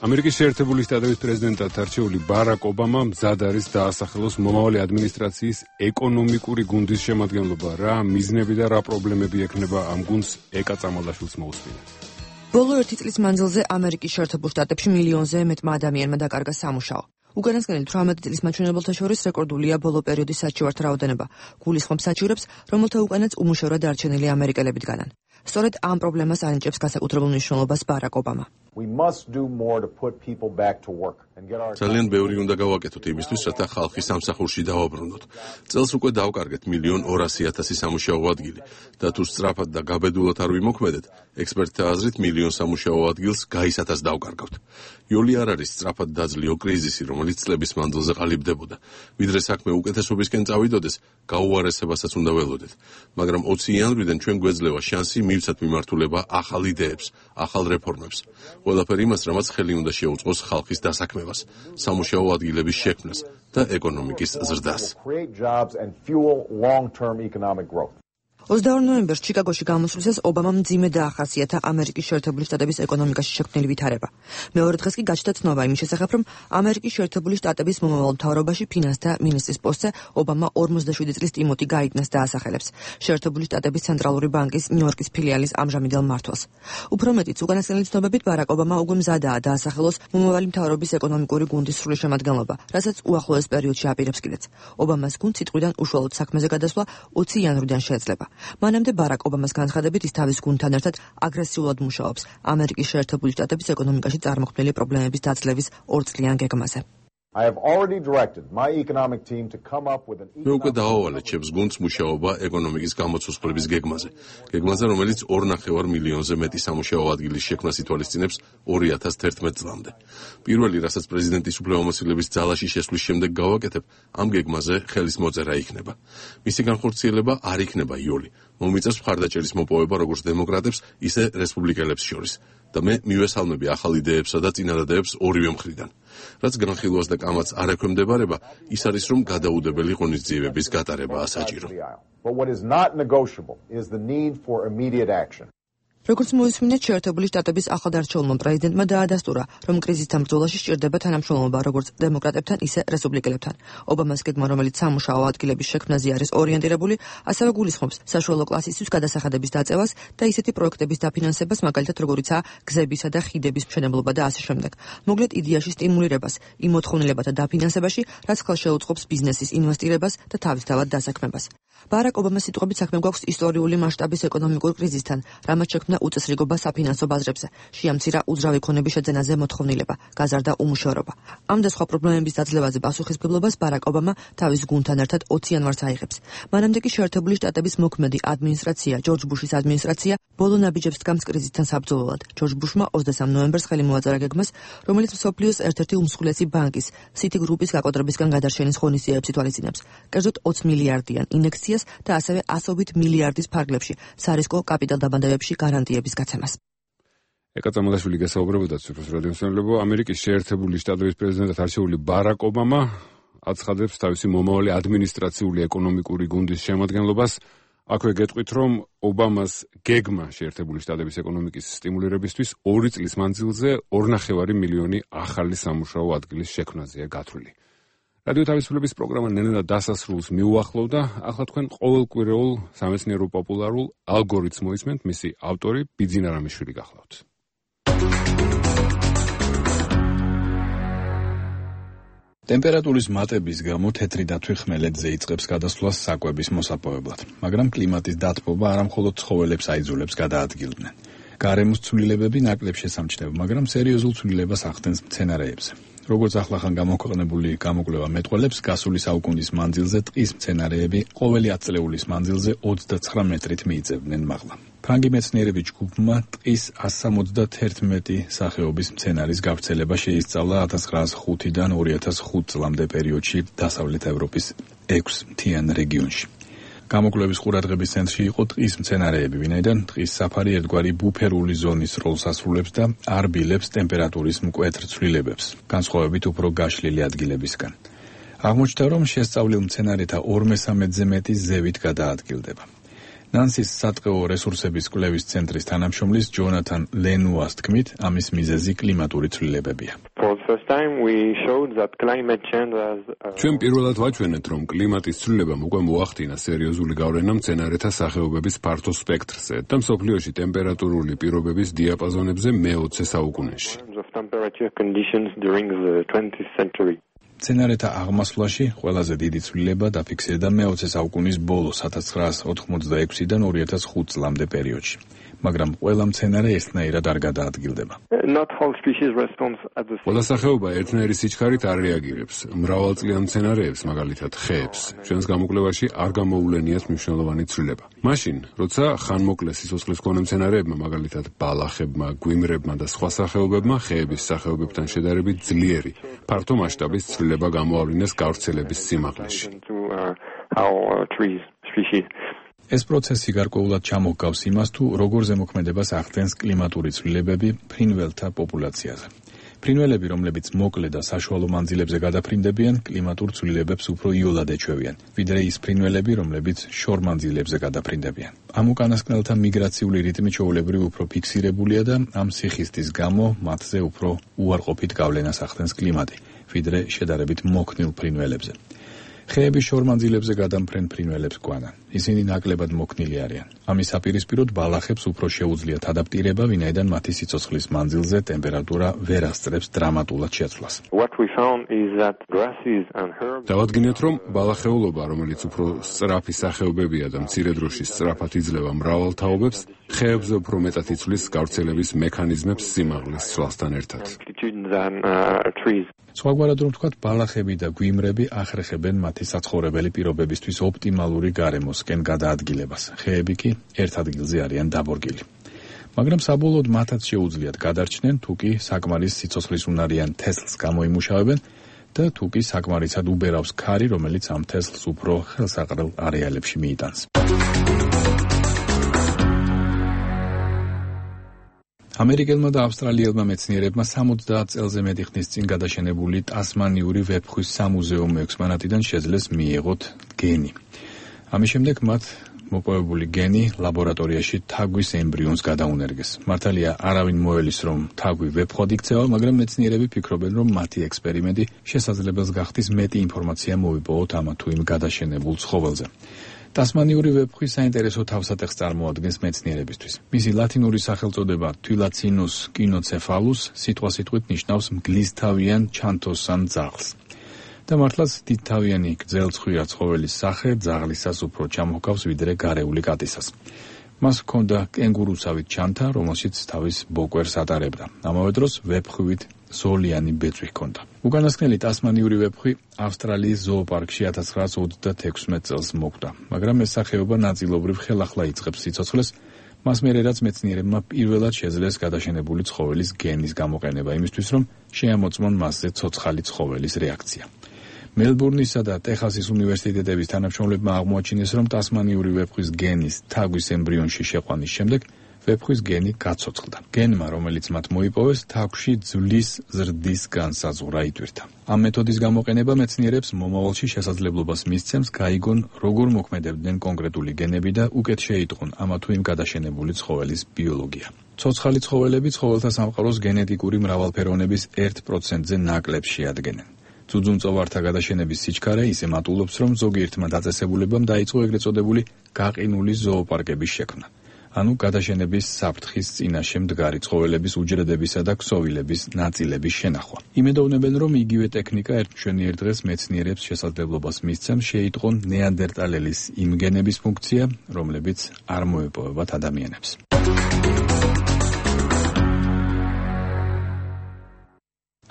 ამერიკის შეერთებული შტატების პრეზიდენტად არჩეული ბარაკ ობამა მზად არის დაასახელოს მომავალი ადმინისტრაციის ეკონომიკური გუნდის შემადგენლობა. რა მიზნები და რა პრობლემები ექნება ამ გუნდს ეკა წამალაშვილს მოусმინეთ. ბოლო 1 წლის მანძილზე ამერიკის შეერთებულ შტატებში მილიონზე მეტმა ადამიანმა დაკარგა სამუშაო. უკანასკნელი 18 წლის მაჩვენებელთა შორის რეკორდულია ბოლო პერიოდის საჩივართა რაოდენობა. გულისხმობს საჩივრებს, რომელთა უკანაც უმუშევრად დარჩენილი ამერიკელები დგანან. სწორედ ამ პრობლემას ანიჭებს განსაკუთრებულ მნიშვნელობას ბარაკ ობამა. ძალიან ბევრი უნდა გავაკეთოთ იმისთვის, რათა ხალხი სამსახურში დავაბრუნოთ. წელს უკვე დავკარგეთ 1,200,000 სამუშაო ადგილი და თუ სწრაფად და გაბედულად არ ვიმოქმედეთ, ექსპერტთა აზრით 1,000,000 სამუშაო ადგილს გაისათას დავკარგავთ. იოლი არ არის სწრაფად დაძლეო კრიზისი, რომელიც წლების მანძილზე ყალიბდებოდა. ვიდრე საქმე უკეთესობისკენ წავიდოდეს, გაუარესებასაც უნდა ველოდეთ. მაგრამ 20 იანვრიდან ჩვენ გვეძლევა შანსი მივცათ მიმართულება ახალ იდეებს, ახალ რეფორმებს. ყველაფერი იმას, რამაც ხელი უნდა შეუწყოს ხალხის დასაქმებას, სამუშაო ადგილების შექმნას და ეკონომიკის ზრდას. 22 ნოემბერს ჩიკაგოში გამოსვლისას ობამამ მძიმე დაახასიათა ამერიკის შეერთებული შტატების ეკონომიკაში შექმნილი ვითარება. მეორე დღეს კი გაჩნდა ცნობა იმის შესახებ, რომ ამერიკის შეერთებული შტატების მომავალ მთავრობაში ფინანსთა მინისტრის პოსტზე ობამა 47 წლის ტიმოტი გაიდნას დაასახელებს, შეერთებული შტატების ცენტრალური ბანკის ნიუ-იორკის ფილიალის ამჟამინდელ მმართველს. უფრო მეტიც, უკანასკნელი ცნობებით ბარაკ ობამა უკვე მზადაა დაასახელოს მომავალი მთავრობის ეკონომიკური გუნდის სრული შემადგენლობა, რასაც უახლოეს პერიოდში აპირებს კიდეც. ობამას გუნდს სიტყვიდან უშუალოდ საქმეზე გადასვლა 20 იანვრიდან შეეძლება. მანამდე ბარაკ ობამას განცხადებით ის თავის გუნდთან ერთად აგრესიულად მუშაობს ამერიკის შეერთებული შტატების ეკონომიკაში წარმოქმნილი პრობლემების დაძლევის 2 წლიან გეგმაზე. მე უკვე დავავალე ჩემს გუნდს მუშაობა ეკონომიკის გამოცოცხლების გეგმაზე, რომელიც 2,5 მილიონზე მეტი სამუშაო ადგილის შექმნას ითვალისწინებს 2011 წლამდე. პირველი, რასაც პრეზიდენტის უფლებამოსილების ძალაში შესვლის შემდეგ გავაკეთებ, ამ გეგმაზე ხელის მოწერა იქნება. მისი განხორციელება არ იქნება იოლი. მომიწევს მხარდაჭერის მოპოვება როგორც დემოკრატებს, ისე რესპუბლიკელებს შორის. და მე მივესალმები ახალ იდეებსა და წინადადებს ორივე მხრიდან. რაც განხილვას და კამათს არ ექვემდებარება, ის არის, რომ გადაუდებელი ღონისძიებების გატარებაა საჭირო. როგორც მოისმინეთ, შეერთებული შტატების ახალდარჩეულმა პრეზიდენტმა დაადასტურა, რომ კრიზისთან ბრძოლაში სჭირდება თანამშრომლობა როგორც დემოკრატებთან, ისე რესპუბლიკელებთან. ობამას გეგმა, რომელიც სამუშაო ადგილების შექმნაზე არის ორიენტირებული, ასევე გულისხმობს საშუალო კლასისთვის გადასახადების დაწევას და ისეთი პროექტების დაფინანსებას, მაგალითად როგორიცაა გზებისა და ხიდების მშენებლობა და ასე შემდეგ. მოკლედ იდეაში სტიმულირებას, იმ მოთხოვნილებათა დაფინანსებაში, რაც ხელს შეუწყობს ბიზნესის ინვესტირებას და თავისთავად დასაქმებას. ბარაკ ობამას სიტყვებით საქმე გვაქვს ისტორიული მასშტაბის ეკონომიკურ კრიზისთან, რამაც შექმნა უწესრიგობა საფინანსო ბაზრებზე, შეამცირა უძრავი ქონების შეძენაზე მოთხოვნილება, გაზარდა უმუშევრობა. ამ და სხვა პრობლემების დაძლევაზე პასუხისმგებლობას ბარაკ ობამა თავის გუნდთან ერთად 20 იანვარს აიღებს. მანამდე კი შეერთებული შტატების მოქმედი ადმინისტრაცია, ჯორჯ ბუშის ადმინისტრაცია, ბოლო ნაბიჯებს დგამს კრიზისთან საბრძოლველად. ჯორჯ ბუშმა 23 ნოემბერს ხელი მოაწერა გეგმას, რომელიც მსოფლიოს ერთ-ერთი უმსხვილესი ბანკის, Citi Group-ის გაკოტრებისგან გადარჩენის ღონისძიებებს ითვალისწინებს. კერძოდ 20 მილიარდიან ინექციას და ასევე 100 მილიარდის ფარგლებში სარისკო კაპიტალდაბანდებებში გარანტიების გაცემას. ეკაცამალაშვილი გესაუბრებოდა ციფროს რადიოსმენელებო, ამერიკის შეერთებული შტატების პრეზიდენტად არჩეული ბარაკ ობამა აცხადებს თავისი მომავალი ადმინისტრაციული ეკონომიკური გუნდის შემადგენლობას. აქვე გეტყვით, რომ ობამას გეგმა შეერთებული შტატების ეკონომიკის სტიმულირებისთვის 2 წლის მანძილზე 2,5 მილიონი ახალი სამუშაო ადგილის შექმნაზეა გათვლილი. რადიო თავისუფლების პროგრამა ნელ-ნელა დასასრულს მიუახლოვდა. ახლა თქვენ ყოველკვირეულ სამეცნიერო პოპულარულ ალგორითმს მოისმენთ, მისი ავტორი ბიძინა რამიშვილი გახლავთ. ტემპერატურის მატების გამო თეთრი დათვი ხმელეთზე იწყებს გადასვლას საკვების მოსაპოვებლად, მაგრამ კლიმატის დათბობა არამხოლოდ ცხოველებს აიძულებს გადაადგილდნენ. გარემოს ცვლილებები ნაკლებ შესამჩნევ, მაგრამ სერიოზულ ცვლილებას ახდენს მცენარეებზე. როგორც ახლახან გამოქვეყნებული გამოკვლევა მეტყველებს, გასული საუკუნის მანძილზე ტყის მცენარეები ყოველი 10 წლეულის მანძილზე 29 მეტრით მიიწევდნენ მაღლა. ფრანგი მეცნიერების ჯგუფმა ტყის 171 სახეობის მცენარის გავრცელება შეისწავლა 1905-დან 2005 წლამდე პერიოდში დასავლეთ ევროპის 6 მთიან რეგიონში. გამოკვლევის ყურადღების ცენტრში იყო ტყის მცენარეები, ვინაიდან ტყის საფარი ერთგვარი ბუფერული ზონის როლს ასრულებს და არ ბილებს ტემპერატურის მკვეთრ ცვლილებებს, განსხვავებით უფრო გაშლილი ადგილებისგან. აღმოჩნდა, რომ შესწავლილ მცენარეთა 2/3-ზე მეტი ზევით გადაადგილდება. ნანსის სატყეო რესურსების კვლევის ცენტრის თანამშრომლის ჯონათან ლენუას თქმით, ამის მიზეზი კლიმატური ცვლილებებია. ჩვენ პირველად ვაჩვენეთ, რომ კლიმატის ცვლილებამ უკვე მოახდინა სერიოზული გავლენა მცენარეთა სახეობების ფართო სპექტრზე და მსოფლიოში ტემპერატურული პირობების დიაპაზონებზე მე-20 საუკუნეში. მცენარეთა აღმასვლაში ყველაზე დიდი ცვლილება დაფიქსირდა მე-20 საუკუნის ბოლოს 1986-დან 2005 წლამდე პერიოდში. მაგრამ ყველა მცენარე ერთნაირად არ გადაადგილდება. ყველა სახეობა ერთნაირი სიჩქარით არ რეაგირებს. მრავალწლიან მცენარეებს, მაგალითად ხეებს, ჩვენს გამოკვლევაში არ გამოუვლენიათ მნიშვნელოვანი ცვლილება. მაშინ, როცა ხანმოკლე სიცოცხლის მქონე მცენარეებმა, მაგალითად ბალახებმა, გვიმრებმა და სხვა სახეობებმა ხეების სახეობებთან შედარებით ძლიერი, ფართო მასშტაბის ცვლილება გამოავლინეს გავრცელების სიმაღლეში. ეს პროცესი გარკვეულად ჩამოჰგავს იმას, თუ როგორ ზემოქმედებას ახდენს კლიმატური ცვლილებები ფრინველთა პოპულაციაზე. ფრინველები, რომლებიც მოკლე და საშუალო მანძილებზე გადაფრინდებიან, კლიმატურ ცვლილებებს უფრო იოლად ეჩვევიან, ვიდრე ის ფრინველები, რომლებიც შორ მანძილებზე გადაფრინდებიან. ამ უკანასკნელთა მიგრაციული რიტმი ჩვეულებრივ უფრო ფიქსირებულია და ამ სიხისტის გამო მათზე უფრო უარყოფით გავლენას ახდენს კლიმატი, ვიდრე შედარებით მოქნილ ფრინველებზე. ხეების შორმანძილებზე გადამფრენ ფრინველებს გვანან. ისინი ნაკლებად მოქნილი არიან. ამის საპირისპიროდ ბალახებს უფრო შეუძლიათ ადაპტირება, ვინაიდან მათი სიცოცხლის მანძილზე ტემპერატურა ვერ ასწრებს დრამატულად შეცვლას. დავადგინეთ, რომ ბალახეულობა, რომელიც უფრო სწრაფი სახეობებია და მცირე დროში სწრაფად იძლევა მრავალ თაობებს, ხეებზე უფრო მეტად იცვლის გავრცელების მექანიზმებს სიმაღლის ცვლასთან ერთად. სხვაგვარად რომ ვთქვათ, ბალახები და გვიმრები ახრეხებენ მათი საცხოვრებელი პირობებისთვის ოპტიმალური გარემოსკენ გადაადგილებას. ხეები კი ერთ ადგილზე არიან დაბორგილი. მაგრამ საბოლოოდ მათაც შეუძლიათ გადარჩნენ, თუ კი საკმარის სიცოცხლისუნარიან თესლს გამოიმუშავებენ და თუ კი საკმარისად უბერავს ქარი, რომელიც ამ თესლს უფრო ხელსაყრელ არეალებში მიიტანს. ამერიკელმა და ავსტრალიელმა მეცნიერებმა 70 წელზე მეტი ხნის წინ გადაშენებული ტასმანიური ვეფხვის სამუზეუმო ექსპონატიდან შეძლეს მიიღოთ გენი. ამის შემდეგ მათ მოპოვებული გენი ლაბორატორიაში თაგვის ემბრიონს გადაუნერგეს. მართალია, არავინ მოელის, რომ თაგვი ვეფხვად იქცევა, მაგრამ მეცნიერები ფიქრობენ, რომ მათი ექსპერიმენტი შესაძლებელს გახდის მეტი ინფორმაცია მოვიპოვოთ ამა თუ იმ გადაშენებულ ცხოველზე. ტასმანიური ვეფხვი საინტერესო თავსატეხს წარმოადგენს მეცნიერებისთვის. მისი ლათინური სახელწოდება თვილაცინუს კინოცეფალუს სიტყვასიტყვით ნიშნავს მგლისთავიან ჩანთოსან ძაღლს. და მართლაც დიდთავიანი გრძელცხვირა ცხოველის სახე ძაღლისას უფრო ჩამოჰგავს ვიდრე გარეული კატისას. მას ჰქონდა კენგურუსავით ჩანთა, რომელშიც თავის ბოკვერს ატარებდა. ამავე დროს ვეფხვით ზოლიანი ბეწვი ჰქონდა. უკანასკნელი ტასმანიური ვეფხვი ავსტრალიის ზოოპარკში 1926 წელს მოკვდა, მაგრამ ეს სახეობა ნაწილობრივ ხელახლა იწყებს სიცოცხლეს, მას მერე რაც მეცნიერებმა პირველად შეძლეს გადაშენებული ცხოველის გენის გამოყენება იმისთვის, რომ შეამოწმონ მასზე ცოცხალი ცხოველის რეაქცია. მელბურნისა და ტეხასის უნივერსიტეტების თანამშრომლებმა აღმოაჩინეს, რომ ტასმანიური ვეფხვის გენის თაგვის ემბრიონში შეყვანის შემდეგ ვეფხვის გენი გაცოცხლდა. გენმა, რომელიც მათ მოიპოვეს, თაგვში ძვლის ზრდის განსაზღვრა იტვირთა. ამ მეთოდის გამოყენება მეცნიერებს მომავალში შესაძლებლობას მისცემს გაიგონ, როგორ მოქმედებდნენ კონკრეტული გენები და უკეთ შეიტყონ ამა თუ იმ გადაშენებული ცხოველის ბიოლოგია. ცოცხალი ცხოველები ცხოველთა სამყაროს გენეტიკური მრავალფეროვნების 1%-ზე ნაკლებს შეადგენენ. ძუძუმწოვართა გადაშენების სიჩქარე ისე მატულობს, რომ ზოგიერთმა დაწესებულებამ დაიწყო ეგრეთ წოდებული გაყინული ზოოპარკების შექმნა. ანუ გადაშენების საფრთხის წინაშე მდგარი ცხოველების უჯრედებისა და ქსოვილების ნაწილების შენახვა. იმედოვნებენ, რომ იგივე ტექნიკა ერთმშვენიერ დღეს მეცნიერებს შესაძლებლობას მისცემს შეიტყონ ნეანდერტალელის იმ გენების ფუნქცია, რომლებიც არ მოეპოვებათ ადამიანებს.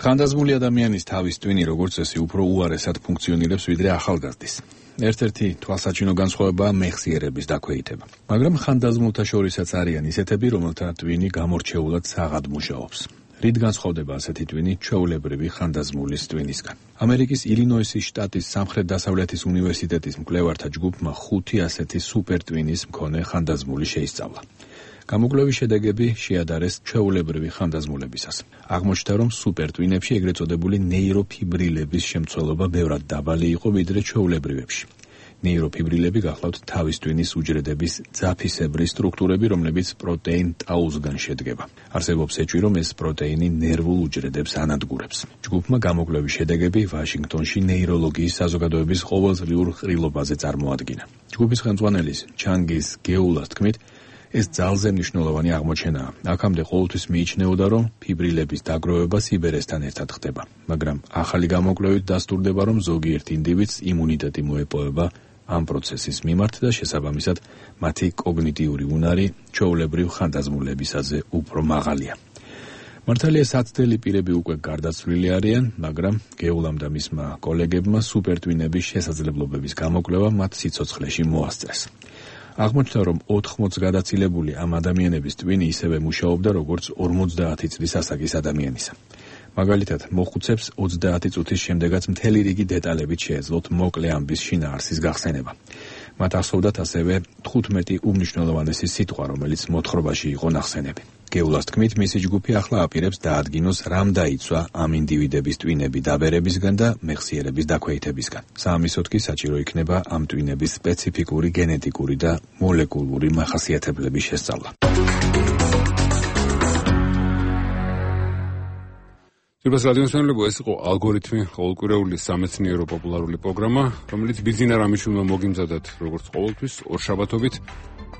ხანდაზმული ადამიანის თავის ტვინი, როგორც წესი, უფრო უარესად ფუნქციონირებს ვიდრე ახალგაზრდის. ერთ-ერთი თვალსაჩინო განსხვავებაა მეხსიერების დაქვეითება. მაგრამ ხანდაზმულთა შორისაც არიან ისეთები, რომელთა ტვინი გამორჩეულად საღად მუშაობს. რით განსხვავდება ასეთი ტვინი ჩვეულებრივი ხანდაზმულის ტვინისგან? ამერიკის ილინოისის შტატის სამხრეთ-დასავლეთის უნივერსიტეტის მკვლევართა ჯგუფმა 5 ასეთი სუპერტვინის მქონე ხანდაზმული შეისწავლა. გამოკვლევის შედეგები შეადარეს ჩვეულებრივი ხანდაზმულებისას. აღმოჩნდა, რომ სუპერტვინებში ეგრეთ წოდებული ნეიროფიბრილების შემცველობა ბევრად დაბალი იყო ვიდრე ჩვეულებრივებში. ნეიროფიბრილები გახლავთ თავის ტვინის უჯრედების ძაფისებრი სტრუქტურები, რომლებიც პროტეინ ტაუსგან შედგება. არსებობს ეჭვი, რომ ეს პროტეინი ნერვულ უჯრედებს ანადგურებს. ჯგუფმა გამოკვლევის შედეგები ვაშინგტონში ნეიროლოგიის საზოგადოების ყოველწლიურ ყრილობაზე წარმოადგინა. ჯგუფის ხელმძღვანელის ჩანგის გეულას თქმით, ეს ძალზე მნიშვნელოვანი აღმოჩენაა. აქამდე ყოველთვის მიიჩნეოდა, რომ ფიბრილების დაგროვება სიბერესთან ერთად ხდება, მაგრამ ახალი გამოკვლევით დასტურდება, რომ ზოგიერთ ინდივიდს იმუნიტეტი მოეპოვება ამ პროცესის მიმართ და შესაბამისად მათი კოგნიტიური უნარი ჩვეულებრივ ხანდაზმულებისაზე უფრო მაღალია. მართალია საცდელი პირები უკვე გარდაცვლილი არიან, მაგრამ გეულამ და მისმა კოლეგებმა სუპერტვინების შესაძლებლობების გამოკვლევა მათ სიცოცხლეში მოასწრეს. აღმოჩნდა, რომ 80 გადაცილებული ამ ადამიანების ტვინი ისევე მუშაობდა, როგორც 50 წლის ასაკის ადამიანისა. მაგალითად, მოხუცებს 30 წუთის შემდეგაც მთელი რიგი დეტალებით შეეძლოთ მოკლე ამბის შინაარსის გახსენება. მათ ახსოვდათ ასევე 15 უმნიშვნელოვანესი სიტყვა, რომელიც მოთხრობაში იყო ნახსენები. გეულას თქმით, მისი ჯგუფი ახლა აპირებს დაადგინოს, რამ დაიცვა ამ ინდივიდების ტვინები დაბერებისგან და მეხსიერების დაქვეითებისგან. საამისოდ კი საჭირო იქნება ამ ტვინების სპეციფიკური გენეტიკური და მოლეკულური მახასიათებლების შესწავლა. Სურბას რადიოსმენელებო, ეს იყო ალგორითმი, ყოველკვირეული სამეცნიერო პოპულარული პროგრამა, რომელიც ბიზინა რამიშვილმა მოგიმზადათ, როგორც ყოველთვის, ორშაბათობით.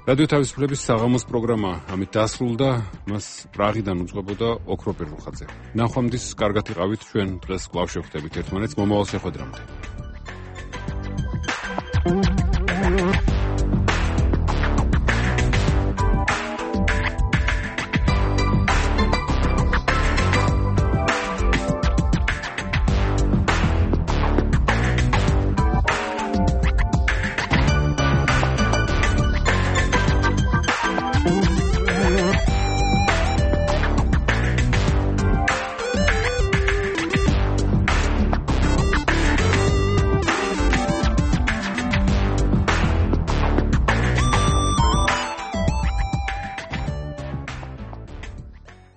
რადიო თავისუფლების საღამოს პროგრამა ამით დასრულდა, მას პრაღიდან უძღვებოდა ოქროპირ რუხაძე. ნახვამდის კარგად იყავით, ჩვენ დღეს კვლავ შევხვდებით ერთმანეთს მომავალ შეხვედრამდე.